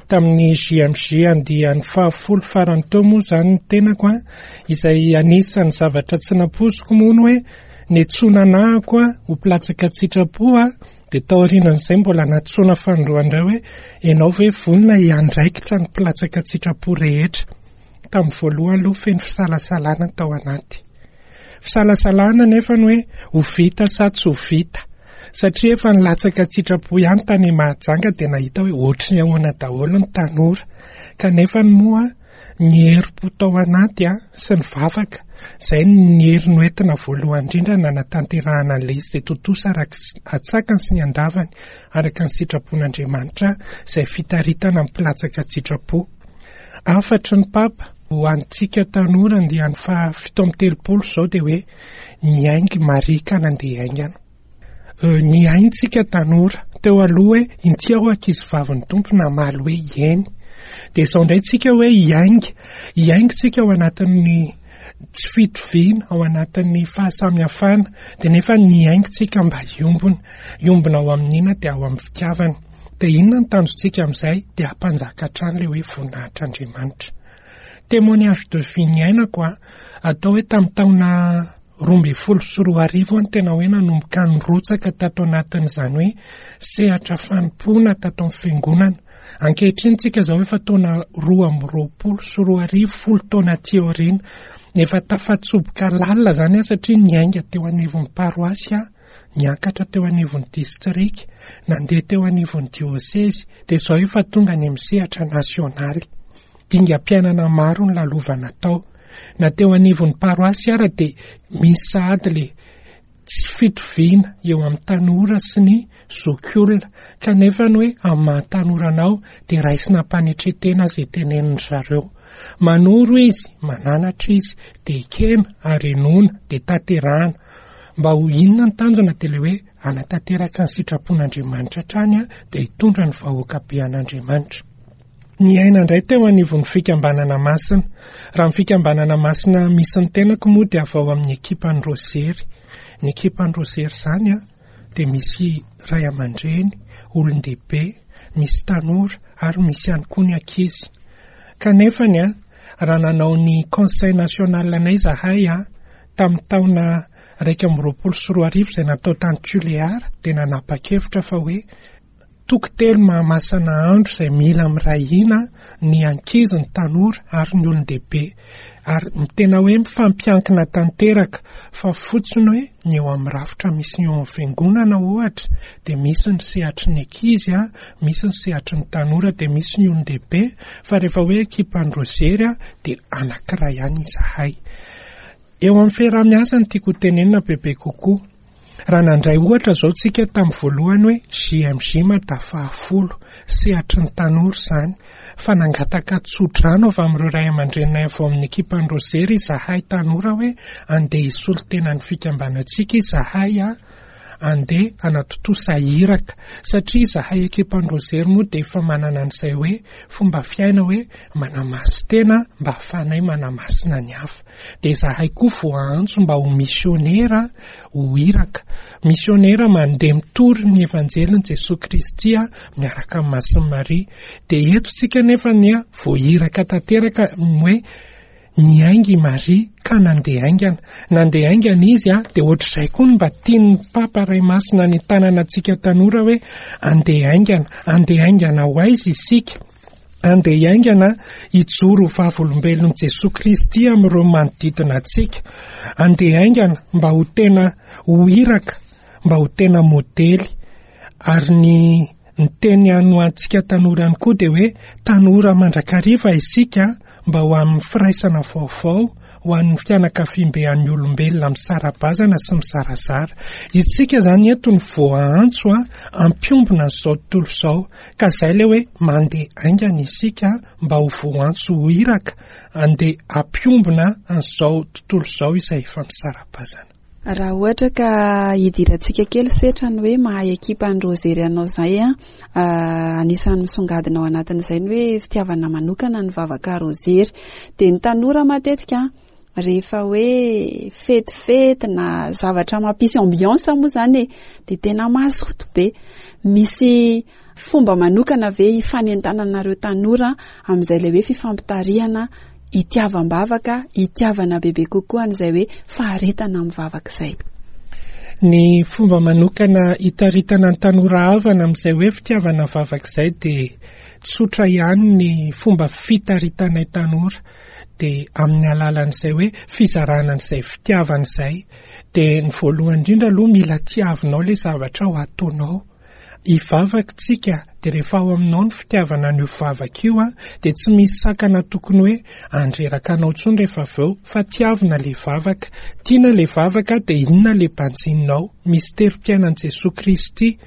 S4: tamin'ny G M J andiany fahafolo farany teo moa izany ny tenako a, izay anisan'ny zavatra tsy nampoiziko moa ny hoe niantsoana anahako a ho mpilatsaka an-tsitrapo a, dia taorianan'izay mbola nantsoina fanindroany indray hoe ianao ve vonona hiandraikitra ny mpilatsaka an-tsitrapo rehetra. Tamin'ny voalohany aloha feno fisalasalana tao anaty. Fisalasalana nefa ny hoe ho vita sa tsy ho vita, satria efa nilatsaka an-tsitrapo ihany tany Mahajanga dia nahita hoe ohatry ny ahoana daholo ny tanora, kanefa ny moa ny herim-po tao anaty a sy ny vavaka izay ny hery noentina voalohany indrindra nanatanterahana an'ilay izy, dia tontosa araka s-, antsakany sy ny andavany araka ny sitrapon'Andriamanitra izay fitaritana ny mpilatsaka an-tsitrapo. Hafatry ny Papa ho antsika tanora andiany faha fito amby telopolo izao dia hoe ny aingy Maria ka nandeha haingana. Euh, ny aintsika tanora teo aloha hoe inty aho ankizy vavin'ny Tompo namaly hoe eny. Dia izao indray tsika hoe hiainga. Hiainga tsika ao anatin'ny tsy fitoviana, ao anatin'ny fahasamihafana, dia nefa ny hiainga tsika mba hiombona. Hiombona ao amin'ina dia ao amin'ny fitiavana. Dia inona ny tanjontsika amin'izay? Dia hampanjaka hatrany ilay hoe voninahitr'Andriamanitra. Témoignage de vie niainako a, atao hoe tamin'ny taona roa ambin'ny folo sy roa arivo aho no tena hoe nanomboka nirotsaka tato anatin'izany hoe sehatra fanompoana tato amin'ny fiangonana. Ankehitriny tsika izao efa taona roa amby roapolo sy roa arivo, folo taona aty aoriana. Efa tafatsoboka lalina izany aho satria niainga teo anivon'ny paroasy aho, niakatra teo anivon'ny distrika, nandeha teo anivon'ny diosezy, dia izao efa tonga any amin'ny sehatra nasionaly. Dingam-piainana maro ny lalovana tao. Na teo anivon'ny paroasy ara dia misy sahady le tsy fitoviana eo amin'ny tanora sy ny zokiolona, kanefa ny hoe amin'ny maha tanora anao dia raisina am-panetren-tena izay tenenin-dry zareo. Manoro izy, mananatra izy, dia ekena ary henoina, dia tanterahana. Mba ho inona ny tanjona dia ilay hoe hanatanteraka ny sitrapon'Andriamanitra hatrany a, dia hitondra ny vahoaka be an'Andriamanitra. Niaina indray teo anivon'ny fikambanana masina. Raha ny fikambanana masina misy ny tenako moa dia avy ao amin'ny ekipan'ny Rosery. Ny ekipan'ny Rosery izany a, dia misy ray aman-dreny, olon-dehibe, misy tanora ary misy ihany koa ny ankizy. Kanefany a, raha nanao ny conseil national anay izahay a, tamin'ny taona iraika amby roapolo sy roa arivo izay natao tany Tuléar, dia nanapa-kevitra fa hoe toko telo mahamasina andro izay mila miray hina ny ankizy, ny tanora ary ny olon-dehibe. Ary ny tena hoe mifampiankina tanteraka, fa fotsiny hoe ny eo amin'ny rafitra misy ny eo amin'ny fiangonana ohatra, dia misy ny sehatry ny ankizy, misy ny sehatry ny tanora, dia misy ny olon-dehibe, fa rehefa hoe ekipan'ny Rozery dia anankiray ihany izahay. Eo amin'ny fiaraha-miasa no tiako hotenenina bebe kokoa. Raha nandray ohatra izao tsika tamin'ny voalohany hoe J M J Mada fahafolo, sehatry ny tanora izany, fa nangataka tsodrano avy amin'ireo ray aman-dreninay avy ao amin'ny ekipan'ny Rozery izahay tanora hoe andeha hisolo tena ny fikambanantsika izahay a, andeha hanatontosa iraka, satria izahay ekipan'ny Rozery moa dia efa manana an'izay hoe fomba fiaina hoe manamasin-tena mba hahafahanay manamasina ny hafa. Dia izahay koa voaantso mba ho misionera, ho iraka. Misionera mandeha mitory ny evanjelin'i Jesoa Kristy miaraka amin'ny Masin'i Maria. Dia eto tsika nefa ny voahiraka tanteraka hoe niainga i Maria ka nandeha haingana. Nandeha haingana izy a, dia ohatr'izay koa no mba tian'ny Papa Ray Masina ny tanana antsika tanora hoe andeha haingana, andeha haingana ho aiza isika? Andeha haingana hijoro ho vavolombelon'i Jesoa Kristy amin'ireo manodidina antsika. Andeha haingana mba ho tena ho iraka, mba ho tena modely. Ary ny, ny teny ihany ho antsika tanora ihany koa dia hoe tanora mandrakariva isika mba ho amin'ny firaisana vaovao, ho an'ny fianakaviambe an'ny olombelona misara-bazana sy mizarazara. Isika izany eto no voaantso a, hampiombona an'izao tontolo izao. Ka izay ilay hoe mandeha haingana isika mba ho voaantso ho iraka, andeha hampiombona an'izao tontolo izao izay efa misara-bazana.
S1: Raha ohatra ka hidirantsika kely setra ny hoe mahay ekipan'ny Rozery anao izay a, ah, anisan'ny misongadina ao anatin'izay ny hoe fitiavana manokana ny vavaka Rozery. Dia ny tanora matetika rehefa hoe fetifety na zavatra mampisy ambiance moa izany e, dia tena mazoto be. Misy fomba manokana ve hifanentananareo tanora amin'izay ilay hoe fifampitarihana, hitiavam-bavaka, hitiavana bebe kokoa an'izay hoe faharetana amin'ny vavaka izay?
S4: Ny fomba manokana hitaritana ny tanora havana amin'izay hoe fitiavana vavaka izay dia tsotra ihany ny fomba fitaritanay tanora, dia amin'ny alalan'izay hoe fizarana an'izay fitiavana izay. Dia ny voalohany indrindra aloha mila tiavinao ilay zavatra ho ataonao. Hivavaka tsika, dia rehefa ao aminao ny fitiavana an'io vavaka io a, dia tsy misy sakana tokony hoe andreraka anao intsony rehefa avy eo, fa tiavina ilay vavaka. Tiana ilay vavaka dia inona ilay banjininao? Misy terim-piainan'i Jesoa Kristy,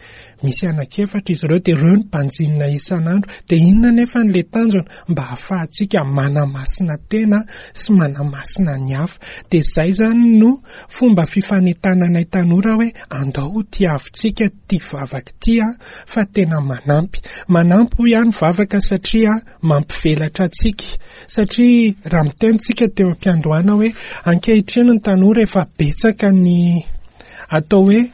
S4: misy anankiefatra izy ireo, dia ireo no banjinina isan'andro. Dia inona nefa ilay tanjona? Mba hahafahantsika manamasina tena sy manamasina ny hafa. Dia izay izany no fomba fifanentananay tanora hoe andao ho tiavintsika ity vavaka ity a, fa tena manampy. Manampy hoy ihany vavaka satria mampivelatra antsika. Satria raha miteny tsika teo am-piandohana hoe ankehitriny ny tanora efa betsaka ny atao hoe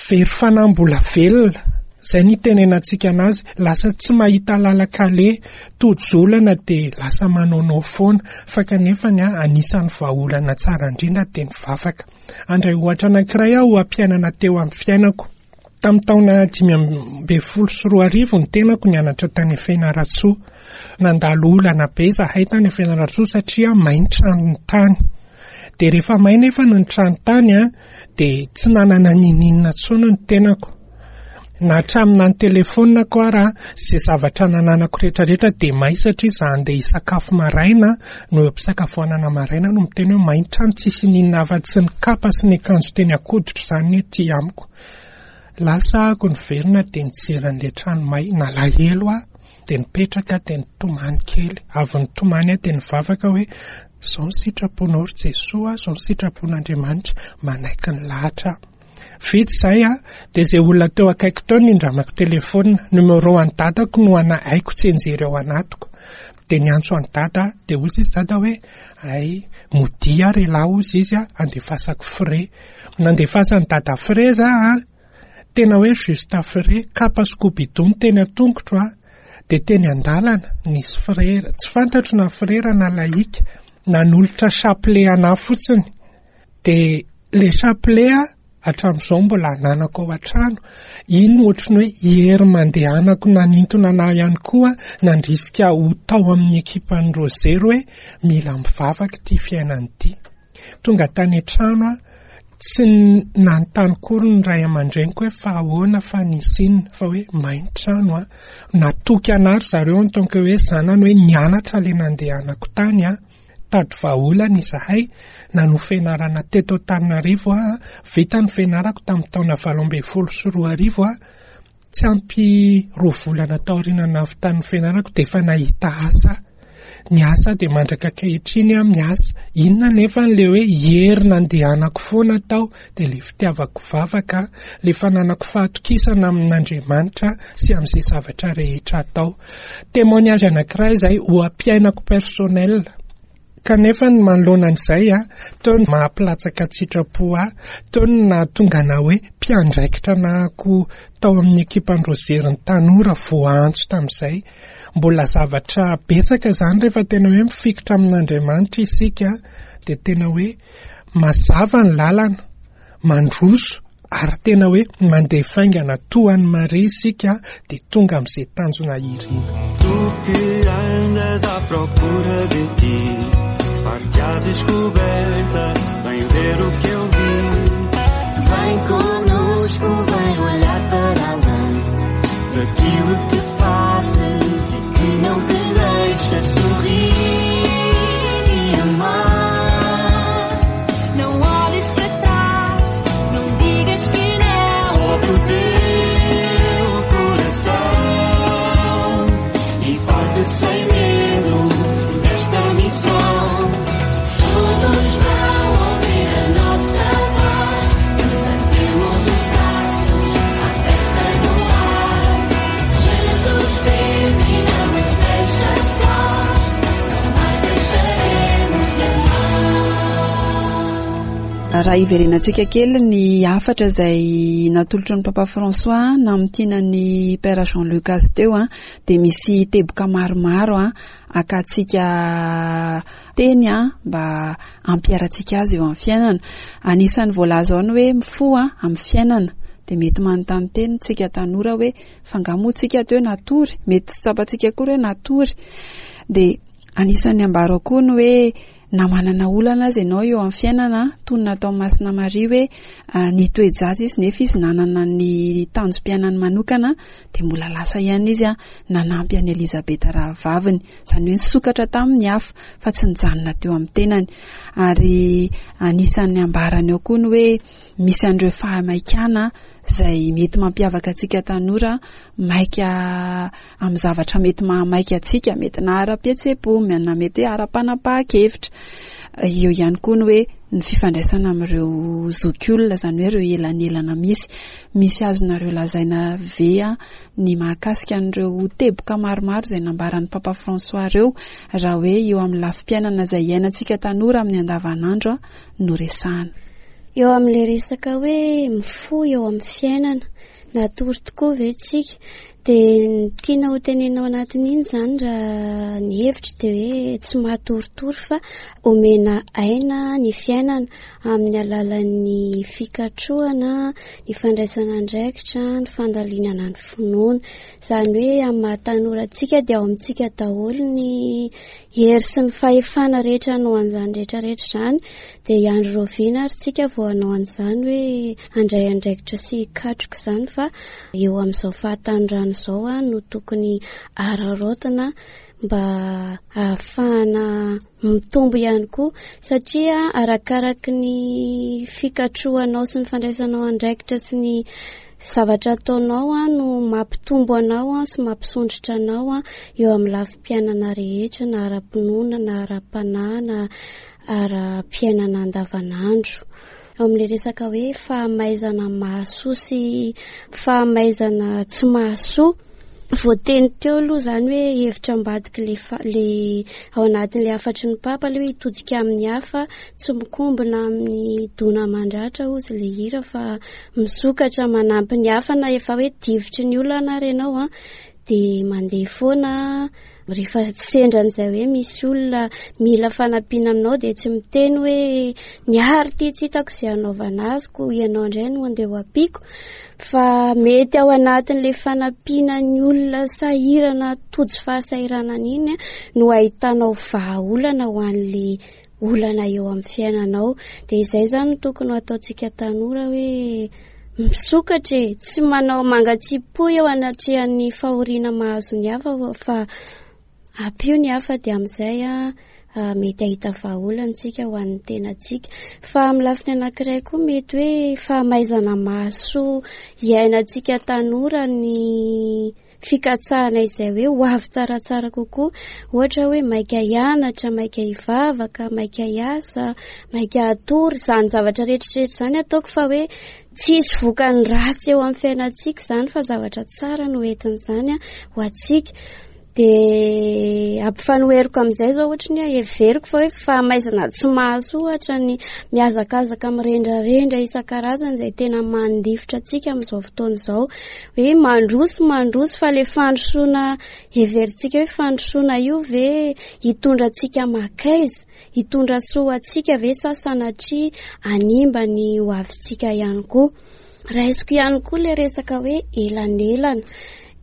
S4: very fanahy mbola velona. Izay ny itenenantsika anazy, lasa tsy mahita lalan-kaleha, tojo olana dia lasa manaonao foana. Fa kanefa ny a, anisan'ny vahaolana tsara indrindra dia ny vavaka. Andray ohatra anankiray aho hampiainana teo amin'ny fiainako. Tamin'ny taona dimy ambin'ny folo sy roa arivo ny tenako nianatra tany Fianarantsoa. Nandalo olana be izahay tany Fianarantsoa satria may ny tranony tany. Dia rehefa may nefa ny trano tany a, dia tsy nanana niniana intsony ny tenako. Na hatramin'ny ny telefonako ara, izay zavatra nananako rehetrarehetra dia may satria izaho andeha hisakafo maraina, no eo am-pisakafoanana maraina no miteny hoe may ny trano, tsisy n'inona afa-tsy ny kapa sy ny akanjo teny an-koditro izany ny aty amiko. Lasa aho niverina dia nijery an'ilay trano may, nalahelo aho, dia nipetraka dia nitomany kely. Avy nitomany aho dia nivavaka hoe izao ny sitraponao ry Jesoa, izao ny sitrapon'Andriamanitra, manaiky ny lahatra aho. Vita izay a, dia izay olona teo akaiky teo nindramako telefona, numéro an'i dadako no ana haiko tsy enjery ao anatiko. Dia niantso an'i dada, dia hoy izy dada hoe ay, modia ary lahy hoy izy a, andefasako frais. Nandefasan'i dada frais za a, tena hoe juste frais, kapa sy kobidono teny an-tongotro a. Dia teny an-dalana nisy frera, tsy fantatro na frera na laika, nanolotra chapelet anahy fotsiny. Dia le chapelet hatramin'izao mbola ananako ao an-trano. Iny ohatry ny hoe hery mandehanako nanintona anahy ihany koa, nandrisika ho tao amin'ny ekipan'ny Rozery hoe mila mivavaka ity fiainana ity. Tonga tany an-trano aho, tsy nanontany akory ny ray aman-dreniko hoe fa ahoana fa nisy inona, fa hoe may ny trano aho. Natoky anahy ry zareo en tant que hoe zanany hoe nianatra ilay nandehanako tany aho. Tady vahaolana izahay, nanohy fianarana teto Antananarivo aho, vita ny fianarako tamin'ny taona valo ambin'ny folo sy roa arivo aho. Tsy ampy roa volana taoriana nahavitan'ny fianarako dia efa nahita asa. Niasa dia mandraka ankehitriny aho miasa. Inona nefa n'ilay hoe hery nandehanako foana tao dia ilay fitiavako vavaka, ilay fananako fahatokisana amin'Andriamanitra sy amin'izay zavatra rehetra atao. Témoignage anankiray izay ho ampiainako personnel. Kanefa ny manoloana an'izay a, teo ny maha-mpilatsaka an-tsitrapo ahy, teo ny nahatonga anahy hoe mpiandraikitra anahako tao amin'ny ekipan'ny Rozery ny tanora voaantso tamin'izay. Mbola zavatra betsaka izany rehefa tena hoe mifikitra amin'Andriamanitra isika dia tena hoe mazava ny lalana, mandroso ary tena hoe mandeha faingana toa an'i Maria isika dia tonga amin'izay tanjona irina.
S5: Tu que andas à procura de ti, parte à descoberta, vem ver o que eu vi.
S3: Vem conosco, vem olhar para além daquilo que fazes e que não te deixa sorrir e amar. Não olhes para trás, não digas que não.
S5: Ouve o teu coração e parte sem medo desta missão.
S3: Todos vão ouvir a nossa voz, levantemos os braços à pressa no ar. Jesus vive e não nos deixa sós, não mais deixaremos de amar.
S1: Raha hiverenantsika kely ny hafatra izay natolotry ny Papa François namintina ny Père Jean Lucas teo a, dia misy teboka maromaro a akatsika teny a mba hampiharantsika azy eo amin'ny fiainana. Anisan'ny voalaza ao ny hoe mifoha amin'ny fiainana. Dia mety manontany teny tsika tanora hoe fa angaha moa tsika teo natory, mety tsy tsapantsika akory hoe natory. Dia anisan'ny ambara ao koa ny hoe na manana olana aza ianao eo amin'ny fiainana, toy ny natao Masina Maria hoe, ah, nitoe-jaza izy nefa izy nanana ny tanjom-piainany manokana, dia mbola lasa ihany izy a, nanampy an'i Elizabeta rahavaviny. Izany hoe nisokatra tamin'ny hafa fa tsy nijanona teo amin'ny tenany. Ary anisan'ny ambarany ao koa ny hoe misy an'ireo fahamaikana izay mety mampiavaka antsika tanora, maika amin'ny zavatra mety mahamaika antsika, mety na ara-pihetseham-po, na mety hoe ara-panapahan-kevitra. Eo ihany koa ny hoe ny fifandraisana amin'ireo zokiolona, izany hoe ireo elanelana misy. Misy azonareo lazaina ve a ny mahakasika an'ireo teboka maromaro izay nambaran'ny Papa François ireo, raha hoe eo amin'ny lafim-piainana izay iainantsika tanora amin'ny andavanandro a no resahana?
S6: Eo amin'ilay resaka hoe mifoha eo amin'ny fiainana, natory tokoa ve tsika? Dia ny tiana ho tenenina ao anatin'iny izany raha ny hevitra dia hoe tsy matoritory fa omena aina ny fiainana amin'ny alalan'ny fikatrohana, ny fandraisana andraikitra, ny fandalinana ny finoana. Izany hoe amin'ny maha tanora antsika dia ao amintsika daholo ny hery sy ny fahefana rehetra hanao an'izany rehetrarehetra izany. Dia hiandry rahoviana ary tsika vao hanao an'izany hoe handray andraikitra sy hikatroka izany, fa eo amin'izao fahatanorana izao a no tokony araraotina mba ahafahana mitombo ihany koa, satria arakaraky ny fikatrohanao sy ny fandraisanao andraikitra sy ny zavatra ataonao a no mampitombo anao a sy mampisondrotra anao a eo amin'ny lafim-piainana rehetra, na ara-pinoana, na ara-panahy, na ara-piainana andavanandro. Ao amin'ilay resaka hoe fahamaizana mahasoa sy fahamaizana tsy mahasoa, voateny teo aloha izany hoe hevitra ambadiky le fa-, le ao anatin'ilay hafatry ny Papa, ilay hoe hitodika amin'ny hafa, tsy mikombona amin'ny dona aman-dratra hozy ilay hira, fa misokatra manampy ny hafa, na efa hoe divotry ny olana ary ianao a, dia mandeha foana. Rehefa sendra an'izay hoe misy olona mila fanampiana aminao dia tsy miteny hoe ny ary ity tsy hitako izay hanaovana azy koa ianao indray no andeha ho ampiako, fa mety ao anatin'ilay fanampiana ny olona sahirana tojo fahasahiranana iny no ahitanao vahaolana ho an'ilay olana eo amin'ny fiainanao. Dia izay izany no tokony ho ataontsika tanora hoe misokatra e, tsy manao mangatsipo eo anatrehan'ny fahoriana mahazo ny hafa fa ampio ny hafa, dia amin'izay a, mety hahita vahaolana isika ho an'ny tenantsika. Fa amin'ny lafiny anankiray koa mety hoe fahamaizana mahasoa iainantsika tanora ny fikatsahana izay hoe ho avy tsaratsara kokoa, ohatra hoe maika hianatra, maika hivavaka, maika hiasa, maika hatory, izany zavatra rehetrarehetra izany ataoko fa hoe tsisy vokany ratsy eo amin'ny fiainantsika izany fa zavatra tsara no entin'izany a ho antsika. Dia ampifanoheriko amin'izay izao ohatra ny hoe heveriko fa hoe fahamaizana tsy mahasoa ohatra ny mihazakazaka mirendrarendra isan-karazany izay tena mandifotra antsika amin'izao fotoana izao, hoe mandroso mandroso fa ilay fandrosoana heverintsika hoe fandrosoana io ve hitondra antsika makaiza, hitondra soa antsika ve sa sanatria hanimba ny ho avintsika ihany koa. Raisiko ihany koa ilay resaka hoe elanelana.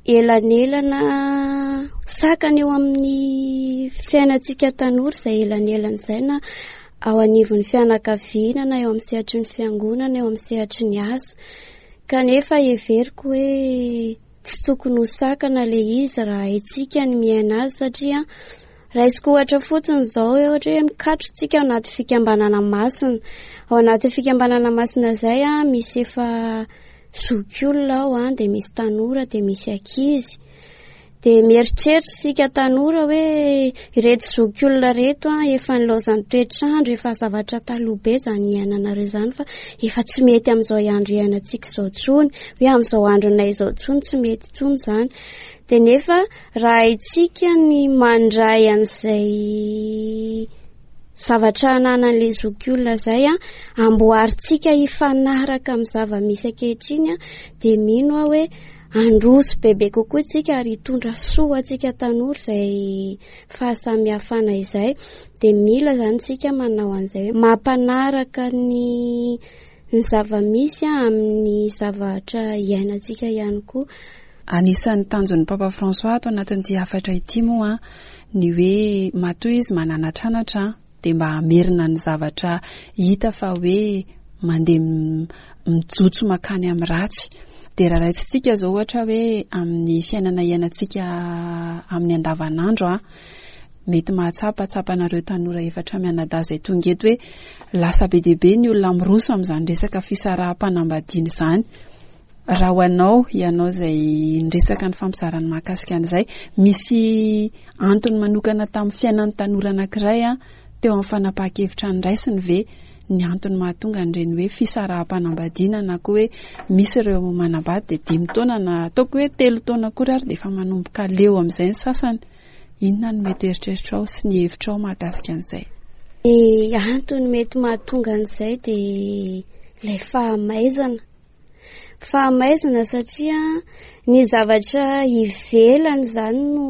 S6: Elanelana sakana eo amin'ny fiainantsika tanora izay elanelana izay na ao anivon'ny fianakaviana na eo amin'ny sehatry ny fiangonana, eo amin'ny sehatry ny asa. Kanefa heveriko hoe tsy tokony ho sakana ilay izy raha haintsika ny miaina azy, satria raisiko ohatra fotsiny izao hoe ohatra hoe mikatro tsika ao anaty fikambanana masina. Ao anaty fikambanana masina izay a, misy efa zokiolona ao a, dia misy tanora, dia misy ankizy. Dia mieritreritra isika tanora hoe ireto zokiolona ireto a, efa nilaozan'ny toetr'andro, efa zavatra taloha be izany iainanareo izany fa efa tsy mety amin'izao andro iainantsika izao intsony, hoe amin'izao andronay izao intsony tsy mety intsony izany. Dia nefa raha haintsika ny mandray an'izay zavatra ananan'ilay zokiolona izay a, amboarintsika hifanaraka amin'ny zava-misy ankehitriny a, dia mino aho hoe handroso bebe kokoa isika ary hitondra soa antsika tanora izay fahasamihafana izay. Dia mila izany isika manao an'izay hoe mampanaraka ny, ny zava-misy a, amin'ny zavatra iainantsika ihany koa.
S1: Anisan'ny tanjon'ny Papa François ato anatin'ity hafatra ity moa ny hoe matoa izy mananatranatra dia mba hamerina ny zavatra hita fa hoe mandeha m-, mijotso makany amin'ny ratsy. Dia raha raisitsika izao ohatra hoe amin'ny fiainana iainantsika amin'ny andavanandro a, mety mahatsapa tsapanareo tanora efatra mianadahy izay tonga eto hoe lasa be dia be ny olona miroso amin'izany resaka fisaraham-panambadiana izany. Raha ho anao, ianao izay niresaka ny fampizarana mahakasika an'izay, misy antony manokana tamin'ny fiainan'ny tanora anankiray a, teo amin'ny fanapahan-kevitra noraisiny ve ny antony mahatonga an'ireny hoe fisaraham-panambadiana na koa hoe misy ireo manambady dia dimy taona na ataoko hoe telo taona akory ary dia efa manomboka leo amin'izay ny sasany. Inona no mety eritreritrao sy ny hevitrao mahakasika an'izay?
S6: Ny antony mety mahatonga an'izay dia ilay fahamaizana. Fahamaizana satria ny zavatra ivelany izany no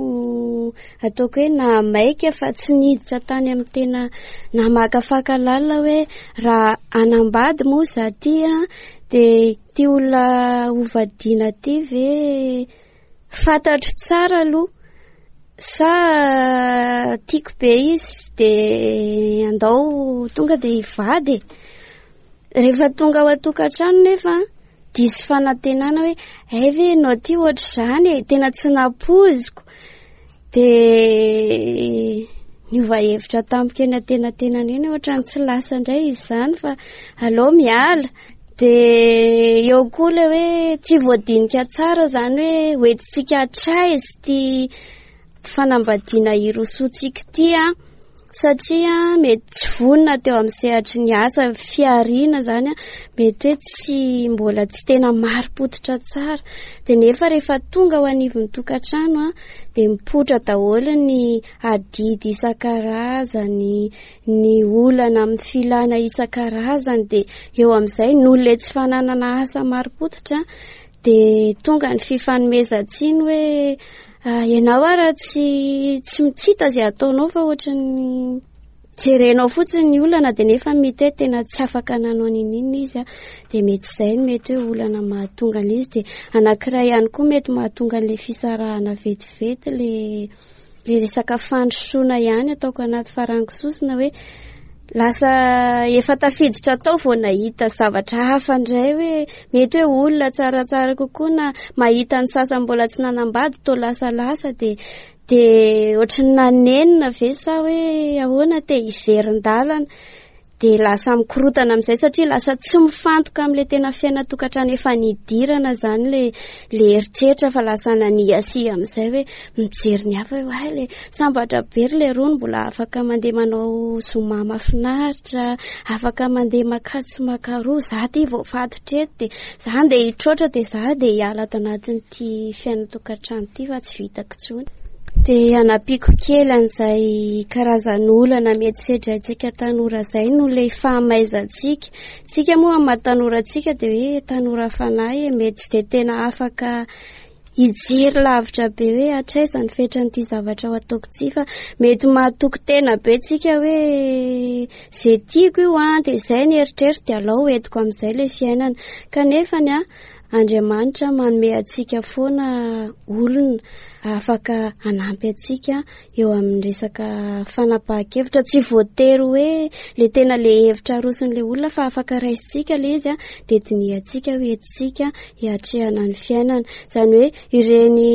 S6: ataoko hoe nahamaika fa tsy niditra tany amin'ny tena namakafaka lalina hoe raha hanambady moa za ty a, dia ty olona hovadiana ty ve fantatro tsara aloha sa tiako be izy dia andao tonga dia hivady e. Rehefa tonga ao an-tokantrano nefa diso fanantenana hoe ay ve ianao ty ohatr'izany e, tena tsy nampoiziko. Dia niova hevitra tampoka eny antenatenana eny ohatran'ny tsy lasa indray izy izany fa aleo miala. Dia eo koa ilay hoe tsy voadinika tsara izany hoe hoentintsika hatraiza ity fanambadiana hirosoantsika ity a, satria mety tsy vonona teo amin'ny sehatry ny asa fihariana izany a, mety hoe tsy mbola tsy tena marim-pototra tsara. Dia nefa rehefa tonga ao anivon'ny tokantrano a, dia mipoitra daholo ny adidy isan-karazany, ny olana amin'ny filana isan-karazany. Dia eo amin'izay noho ilay tsy fananana asa marim-pototra Dia tonga ny fifanomezan-tsiny hoe ianao ara tsy tsy tsy hita izay ataonao fa ohatran'ny jerenao fotsiny ny olana dia nefa mety hoe tena tsy afaka nanao n'inon'inona izy a. Dia mety izay no mety hoe olana mahatonga an'izy. Dia anankiray ihany koa mety mahatonga an'ilay fisarahana vetivety le le resaka fandrosoana ihany ataoko anaty farango sosona hoe lasa efa tafiditra tao vao nahita zavatra hafa indray hoe mety hoe olona tsaratsara kokoa na mahita ny sasany mbola tsy nanambady toa lasalasa dia dia ohatran'ny nanenina ve sa hoe ahoana te hiverin-dalana dia lasa mikorotana amin'izay satria lasa tsy mifantoka amin'ilay tena fiainan-tokantrano efa nidirana izany le le eritreritra fa lasa naniasia amin'izay hoe mijery ny hafa hoe ay le sambatra be ry le rony mbola afaka mandeha manao zoma mahafinaritra, afaka mandeha makatsy sy makaroa, za ty vao fatotra eto dia za andeha hitroatra dia za dia hiala ato anatin'ity fiainan-tokantrano ity fa tsy vitako intsony. Dia hanampiako kely an'izay karazan'olana mety sedraintsika tanora izay no ilay fahamaizantsika. Tsika moa amin'ny maha tanora antsika dia hoe tanora fanahy e, mety tsy dia tena afaka hijery lavitra be hoe hatraiza ny fetran'ity zavatra ho ataoko ity fa mety mahatoky tena be tsika hoe izay tiako io an, dia izay ny eritreritro dia alao entiko amin'izay ilay fiainana. Kanefa ny a, Andriamanitra manome antsika foana olona afaka hanampy antsika eo amin'ny resaka fanapahan-kevitra. Tsy voatery hoe le tena le hevitra aroson'ilay olona fa afaka raisintsika le izy a, dia dinihantsika hoe entintsika hiatrehana ny fiainana. Izany hoe ireny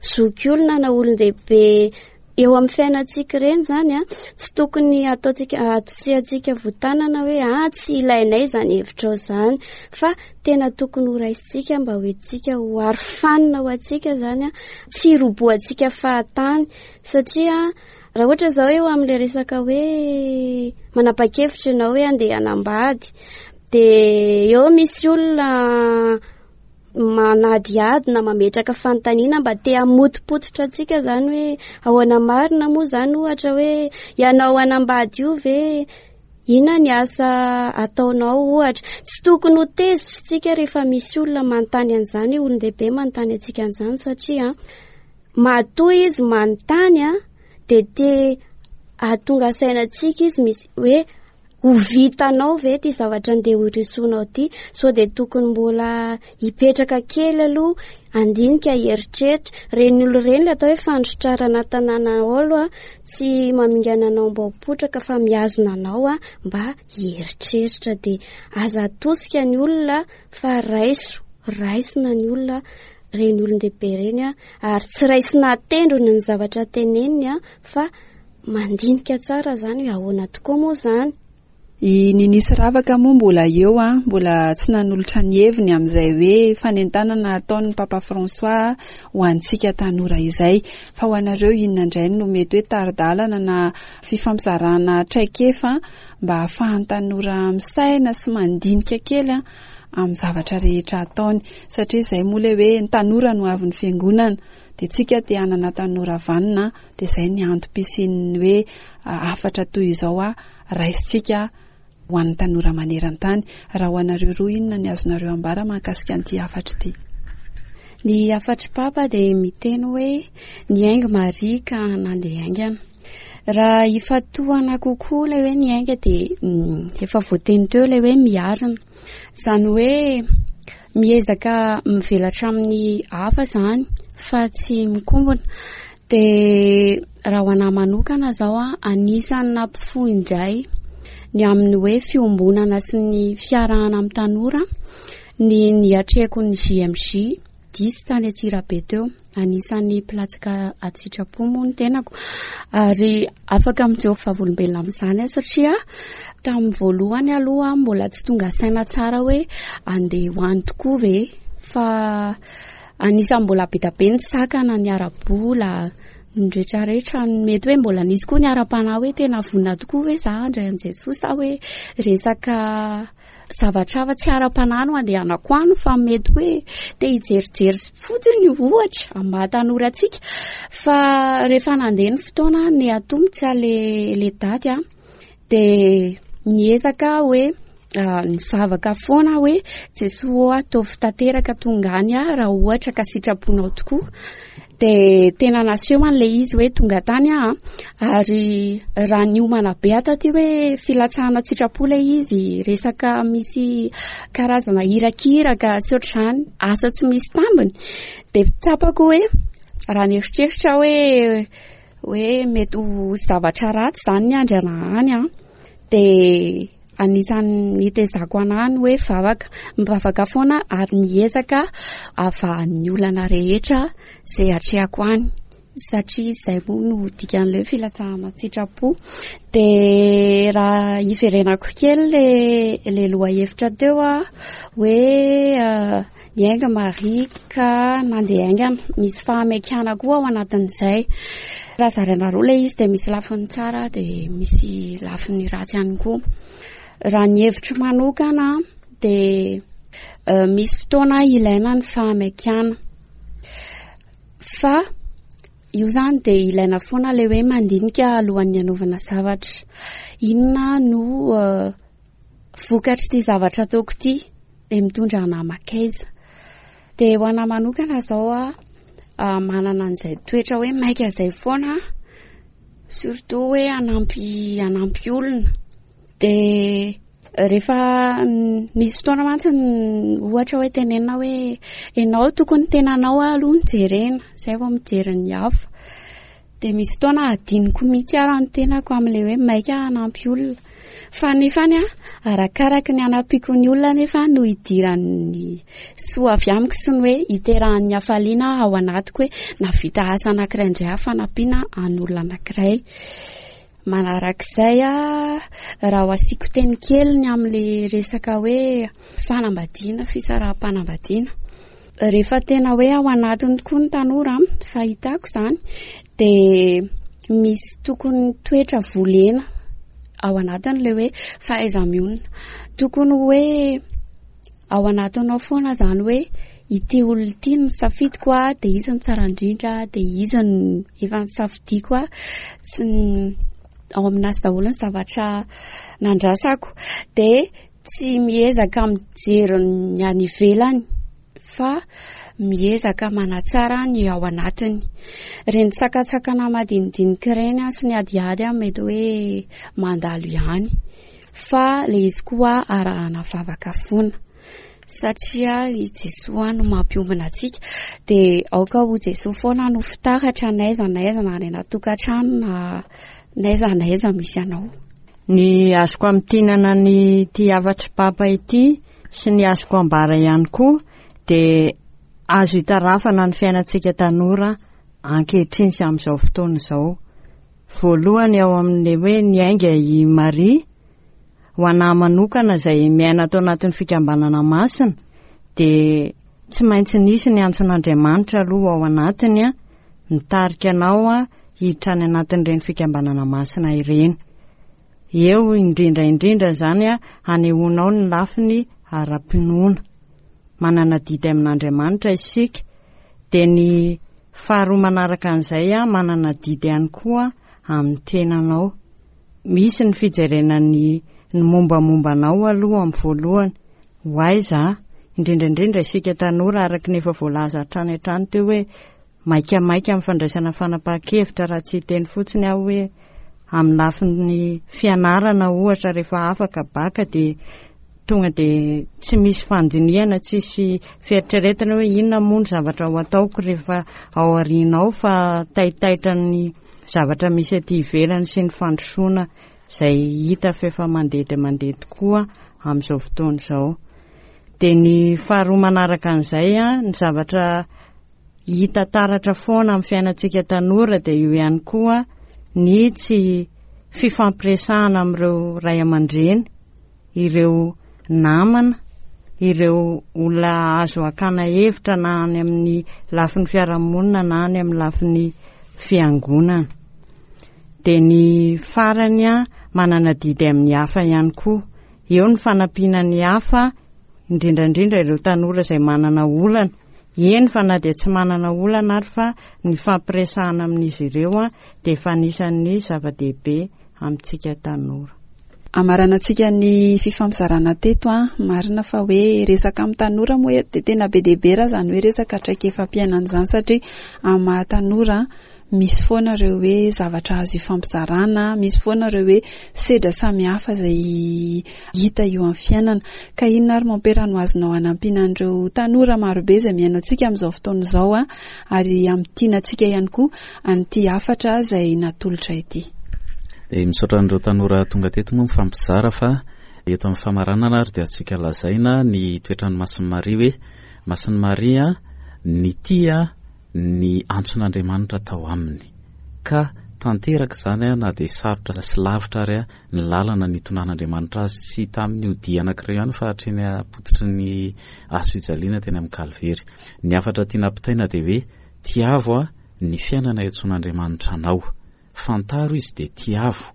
S6: zokiolona na olon-dehibe eo amin'ny fiainantsika ireny izany a, tsy tokony ataontsika, atosihantsika votanana hoe ah, tsy ilainay izany hevitrao izany, fa tena tokony ho raisintsika mba ho entintsika ho arofanina ho antsika izany a, tsy hirobohantsika fahatany satria raha ohatra izao eo amin'ilay resaka hoe manapa-kevitra ianao hoe andeha hanambady dia eo misy olona manadihady na mametraka fanontaniana mba te hamotopototra antsika izany hoe ahoana marina moa izany ohatra hoe ianao hanambady io ve, inona ny asa ataonao ohatra. Tsy tokony ho tezitra isika rehefa misy olona manontany an'izany, olon-dehibe manontany antsika an'izany satria matoa izy manontany a, dia te hahatonga saina antsika izy misy hoe ho vitanao ve ty zavatra andeha horosoanao ty, sao dia tokony mbola hipetraka kely aloha handinika hieritreritra. Ireny olona ireny ilay atao hoe fandrotrarana tanàna aolo a, tsy mamingana anao mba ho potraka fa mihazona anao a mba hieritreritra. Dia aza atosika ny olona fa raiso, raisina ny olona, ireny olon-dehibe ireny a, ary tsy raisina tendrony ny zavatra teneniny a, fa mandinika tsara izany hoe ahoana tokoa moa izany.
S1: I Nini sy Ravaka moa mbola eo a, mbola tsy nanolotra ny heviny amin'izay hoe fanentanana ataon'ny Papa François ho antsika tanora izay. Fa ho anareo inona indray no mety hoe tari-dalana na fifampizarana traikefa mba hahafahan'ny tanora misaina sy mandinika kely a amin'ny zavatra rehetra ataony, satria izay moa ilay hoe ny tanora no avin'ny fiangonana, dia tsika te hanana tanora vanona, dia izay ny antom-pisian'ny hoe hafatra toy izao a raisintsika ho an'ny tanora maneran-tany. Raha ho anareo roa, inona ny azonareo ambara mahakasika an'ity hafatra ity?
S7: Ny hafatry Papa dia miteny hoe niainga Maria ka nandeha haingana. Raha ifantohana kokoa ilay hoe niainga dia, mm, efa voateny teo ilay hoe miarina. Izany hoe miezaka mivelatra amin'ny hafa izany fa tsy mikombona. Dia raha ho anahy manokana izao a, anisan'ny nampifoha indray ny amin'ny hoe fiombonana sy ny fiarahana amin'ny tanora ny niatrehako ny J M J dix tany Antsirabe teo. Anisan'ny mpilatsaka an-tsitrapo moa ny tenako ary afaka mijoro vavolombelona amin'izany aho satria tamin'ny voalohany aloha mbola tsy tonga saina tsara hoe andeha ho any tokoa ve, fa anisan'ny mbola be dia be ny sakana, ny ara-bola, ny rehetrarehetra. Mety hoe mbola nisy koa ny ara-panahy hoe tena vonona tokoa ve za handray an'i Jesoa sa hoe resaka zavatra hafa tsy ara-panahy no andehanako any, fa mety hoe te hijerijery fotsiny ohatra amin'ny maha tanora antsika. Fa rehefa nandeha ny fotoana ny atomotra le, le daty a, dia niezaka hoe Nivavaka foana aho hoe Jesoa ô, ataovy tanteraka tonga any aho raha ohatra ka sitraponao tokoa. Dia tena naseho an'ilay izy hoe tonga tany aho, ary raha niomana be aho taty hoe filatsahana an-tsitrapo ilay izy, resaka misy karazana irakiraka sy ohatr'izany, asa tsy misy tambiny, dia tsapako hoe raha nieritreritra aho hoe hoe mety ho zavatra ratsy izany ny andry anahy any an, dia anisan'ny nitezako anahy ny hoe vavaka, mivavaka foana ary miezaka avahan'ny olana rehetra izay atrehako any, satria izay moa no dikan'ilay hoe filatsahana an-tsitrapo. Dia raha hiverenako kely le, le lohahevitra teo a, hoe niainga Maria ka nandeha haingana, misy fahamekana koa ao anatin'izay. Raha zaraina roa ilay izy dia misy lafiny tsara dia misy lafiny ratsy ihany koa. Raha ny hevitro manokana dia misy fotoana ilaina ny fahamekana, fa io izany dia ilaina foana ilay hoe mandinika alohan'ny hanaovana zavatra. Inona no vokatr'ity zavatra ataoko ity? Dia mitondra anà makaiza. Dia ho anà manokana izao a, manana an'izay toetra hoe maika izay foana aho, surtout hoe hanampy, hanampy olona. Dia rehefa misy fotoana mantsy ohatra hoe tenenina hoe ianao tokony tenanao aloha no jerena, izay vao mijery ny hafa. Dia misy fotoana adinoko mihitsy ara ny tenako amin'ilay hoe maika hanampy olona. Fa nefany a, arakaraky ny hanampiako ny olona nefa no hidiran'ny soa avy amiko sy ny hoe hiterahan'ny hafaliana ao anatiko hoe nahavita asa anankiray indray aho fanampiana an'olona anankiray. Manarak'izay a, raha ho asiako teny kely ny amin'ilay resaka hoe fanambadiana, fisaraham-panambadiana. Rehefa tena hoe ao anatiny tokoa ny tanora, fahitako izany, dia misy tokony toetra volena ao anatiny ilay hoe fahaiza-mionona. Tokony hoe ao anatinao foana izany hoe ity olona ity no safidiko a, dia izy no tsara indrindra, dia izy no efa nisafidiako a, sy ny ao aminazy daholo ny zavatra nandrasako. Dia tsy miezaka mijery ny any ivelany fa miezaka manatsara ny ao anatiny. Ireny sakantsakana madinidinika ireny sy ny adiady mety hoe mandalo ihany, fa ilay izy koa arahana vavaka foana, satria i Jesoa no mampiombona antsika. Dia aoka ho Jesoa foana no fitaratra n'aiza n'aiza, na any anaty tokantrano na n'aiza n'aiza misy anao.
S8: Ny azoko amintinana ny ity hafatry Papa ity sy ny azoko ambara ihany koa dia azo itarafana ny fiainantsika tanora ankehitriny sy amin'izao fotoana izao. Voalohany ao amin'ilay hoe niainga i Maria, ho anahy manokana izay miaina ato anatin'ny fikambanana masina, dia tsy maintsy nisy ny antson'Andriamanitra aloha ao anatiny a, mitarika anao a, hiditra any anatin'ireny fikambanana masina ireny. Eo indrindra indrindra izany a, hanehoanao ny lafiny ara-pinoana. Manana adidy amin'Andriamanitra isika, dia ny faharoa manaraka an'izay a, manana adidy ihany koa amin'ny tenanao. Misy ny fijerena ny, ny mombamomba anao aloha amin'ny voalohany, ho aiza, indrindra indrindra isika tanora araka ny efa voalaza hatrany hatrany teo hoe maikamaika amin'ny fandraisana fanapahan-kevitra, raha tsy hiteny fotsiny aho hoe amin'ny lafiny fianarana ohatra rehefa afaka baka dia tonga dia tsy misy fandinihana, tsisy fieritreretana hoe inona moa ny zavatra ho ataoko rehefa ao aoriana ao, fa taitaitra ny zavatra misy aty ivelany sy ny fandrosoana izay hita fa efa mandeha dia mandeha tokoa amin'izao fotoana izao. Dia ny faharoa manaraka an'izay a, ny zavatra hita taratra foana amin'ny fiainantsika tanora dia io ihany koa ny tsy fifampiresahana amin'ireo ray aman-dreny, ireo namana, ireo olona azo hakana hevitra na any amin'ny lafiny fiarahamonina na any amin'ny lafiny fiangonana. Dia ny farany a, manana adidy amin'ny hafa ihany koa. Eo ny fanampiana ny hafa, indrindra indrindra ireo tanora izay manana olana. Eny fa na dia tsy manana olana ary fa ny fampiresahana amin'izy ireo a, dia efa anisan'ny zava-dehibe amintsika tanora.
S1: Amaranantsika ny fifampizarana teto a, marina fa hoe resaka amin'ny tanora moa dia tena be dia be raha izany hoe resaka traikefam-piainana izany, satria amin'ny maha tanora misy foana ireo hoe zavatra azo ifampizarana, misy foana ireo hoe sedra samihafa izay hita eo amin'ny fiainana. Ka inona ary mompera no azonao hanampiana an'ireo tanora marobe izay mihaino antsika amin'izao fotoana izao a, ary hamintina antsika ihany koa an'ity hafatra izay natolotra ity?
S2: Dia misaotra an'ireo tanora tonga teto moa mifampizara, fa eto amin'ny famaranana ary dia azontsika lazaina ny toetran'i Masin'i Maria hoe Masin'i Maria nitia ny antson'Andriamanitra tao aminy, ka tanteraka izany na dia sarotra sy lavitra ary ny lalana nitonan'Andriamanitra azy, tsy tamin'io dia anankiray ihany fa hatreny am-pototry ny hazo fijaliana teny amin'ny Kalvery. Ny hafatra tiana ampitaina dia hoe tiavo ny fiainana iantsoan'Andriamanitra anao, fantaro izy dia tiavo,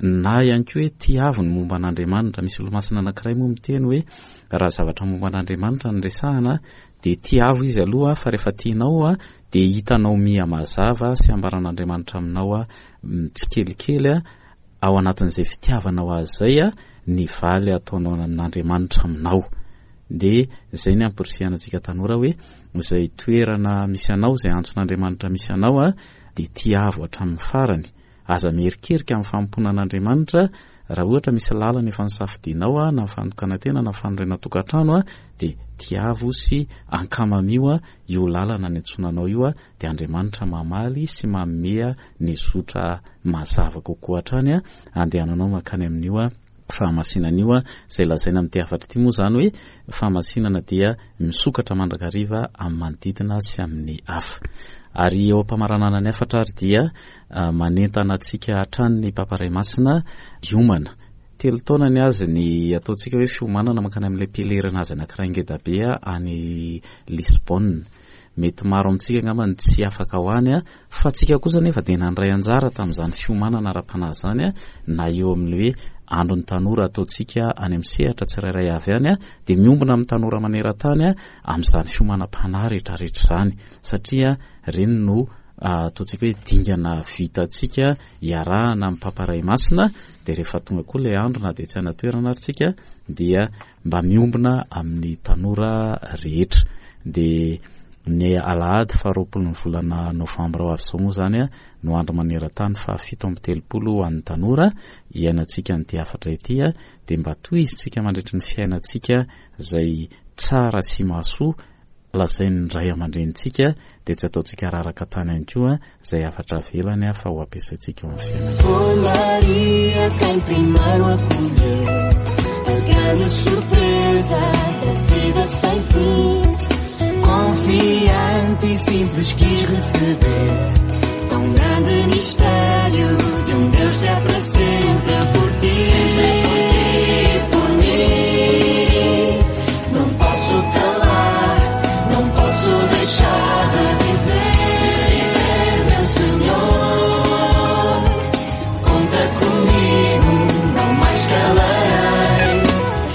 S2: na ihany koa hoe tiavo ny momba an'Andriamanitra. Misy olomasina anankiray moa miteny hoe raha zavatra momba an'Andriamanitra no resahana dia tiavo izy aloha, fa rehefa tianao dia hitanao miha mazava sy ambaran'Andriamanitra aminao tsikelikely ao anatin'izay fitiavanao azy izay ny valy ataonao amin'Andriamanitra aminao. Dia izay ny amporisihana antsika tanora hoe izay toerana misy anao, izay antson'Andriamanitra misy anao dia tiavo hatramin'ny farany. Aza mierikerika amin'ny fanompoana an'Andriamanitra. Raha ohatra misy lalana efa nisafidianao na fandokanantena na fanorenan-tokantrano dia tiavo sy ankamamio io lalana niantsonanao io, dia Andriamanitra mamaly sy manome ny zotra mazava kokoa hatrany andehananao mankany amin'io fahamasinana io. Izay lazaina amin'ity hafatra ity moa izany hoe fahamasinana dia misokatra mandrakariva amin'ny manodidina sy amin'ny hafa. Ary eo am-pamaranana ny hafatra ary dia manentana antsika hatrany ny Papa Ray Masina hiomana. Telo taona ny azy ny ataontsika hoe fiomanana mankany amin'ilay pèlerin azy anankiray ngedabe any Lisbonne. Mety maro amintsika angamba ny tsy afaka ho any, fa tsika kosa nefa dia nandray anjara tamin'izany fiomanana ara-panahy izany, na eo amin'ny hoe andron'ny tanora ataontsika any amin'ny sehatra tsirairay avy any, dia miombona amin'ny tanora maneran-tany amin'izany fiomanam-panahy rehetrarehetra izany, satria ireny no ataontsika hoe dingana vitantsika iarahana amin'ny Papa Ray Masina. Dia rehefa tonga koa ilay andro na dia tsy any an-toerana ary tsika dia mba miombona amin'ny tanora rehetra. Dia ny alahady faharoapolo ny volana novambra ho avy izao moa izany no andro maneran-tany fahafito amby telopolo ho an'ny tanora iainantsika an'ity hafatra ity, dia mba tohizintsika mandritry ny fiainantsika izay tsara sy mahasoa lazain'ny ray aman-drenintsika, dia tsy ataontsika raraka tany ihany koa izay hafatra avelany fa ho ampiasaintsika ao amin'ny fiainana.
S3: Ô Maria, quem primeiro acolheu a grande surpresa da vida sem fim, confiante e simples quis receber tão grande mistério de um Deus que é para sempre por ti, sempre por ti, por mim. Não posso calar, não posso deixar de dizer, dizer, meu Senhor, conta comigo, não mais calarei.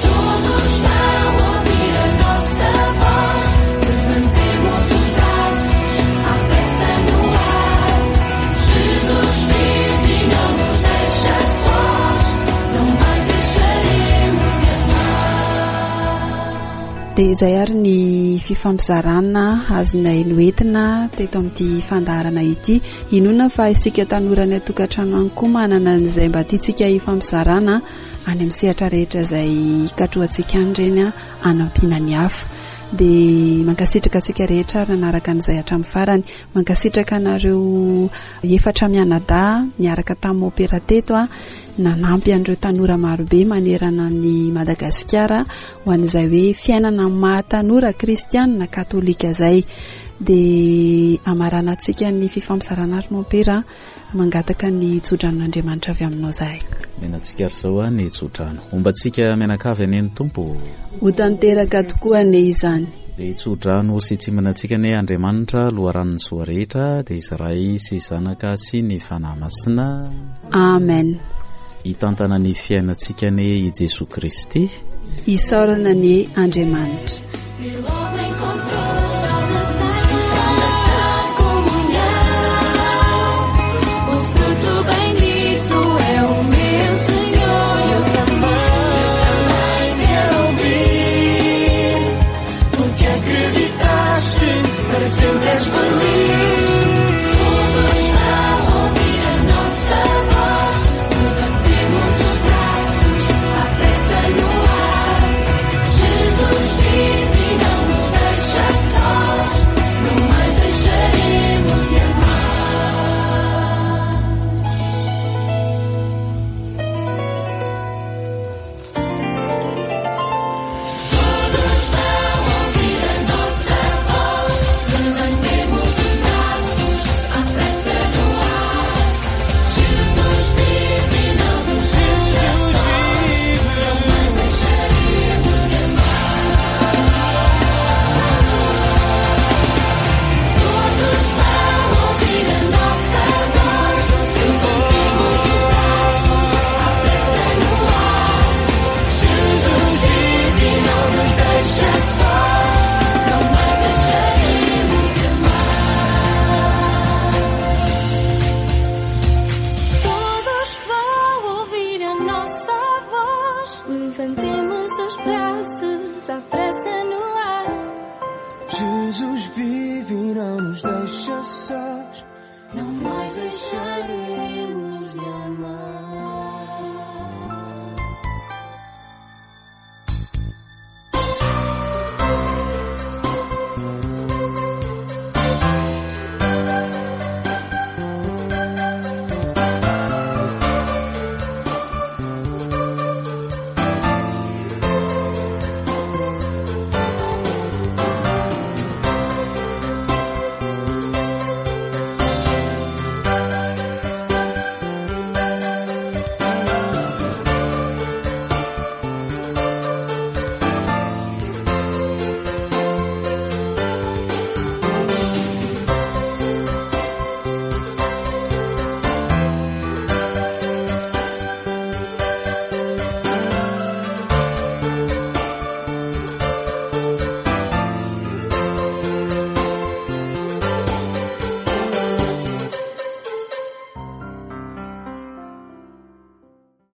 S3: Todos estão a ouvir a nossa voz, levantemos os braços à pressa no ar. Jesus vive e não nos deixa sós, não mais deixaremos de amar.
S1: Dia izay ary ny fifampizarana azonay noentina teto amin'ity fandaharana ity. Inoana fa isika tanora any an-tokantrano any koa manana an'izay mba tiantsika hifampizarana any amin'ny sehatra rehetra izay katrohantsika any ireny hanampiana ny hafa. Dia mankasitraka antsika rehetra ary nanaraka an'izay hatramin'ny farany. Mankasitraka anareo efatra mianadahy niaraka tamin'ny mompera teto a, nanampy an'ireo tanora marobe manerana ny Madagasikara ho an'izay hoe fiainana maha tanora kristianina katolika izay. Dia amaranantsika ny fifampizarana ary mompera, mangataka ny tsodranon'Andriamanitra avy aminao izahay.
S2: Mianantsika ary izao ny tsodrano. Hombantsika mianakavy anie ny Tompo.
S1: Ho tanteraka tokoa anie izany.
S2: Dia tsodrano sy tsimbinantsika anie Andriamanitra, loharanon'ny soa rehetra, dia Izy Ray sy Zanaka sy ny Fanahy Masina.
S1: Amen.
S2: Hitantana ny fiainantsika anie i Jesoa Kristy.
S1: Isaorana anie Andriamanitra.
S3: E logo encontrou salvação, comunhão. O fruto bendito é o meu Senhor. Eu
S5: Jesus vive e não nos deixa sós.
S3: Não mais deixaremos.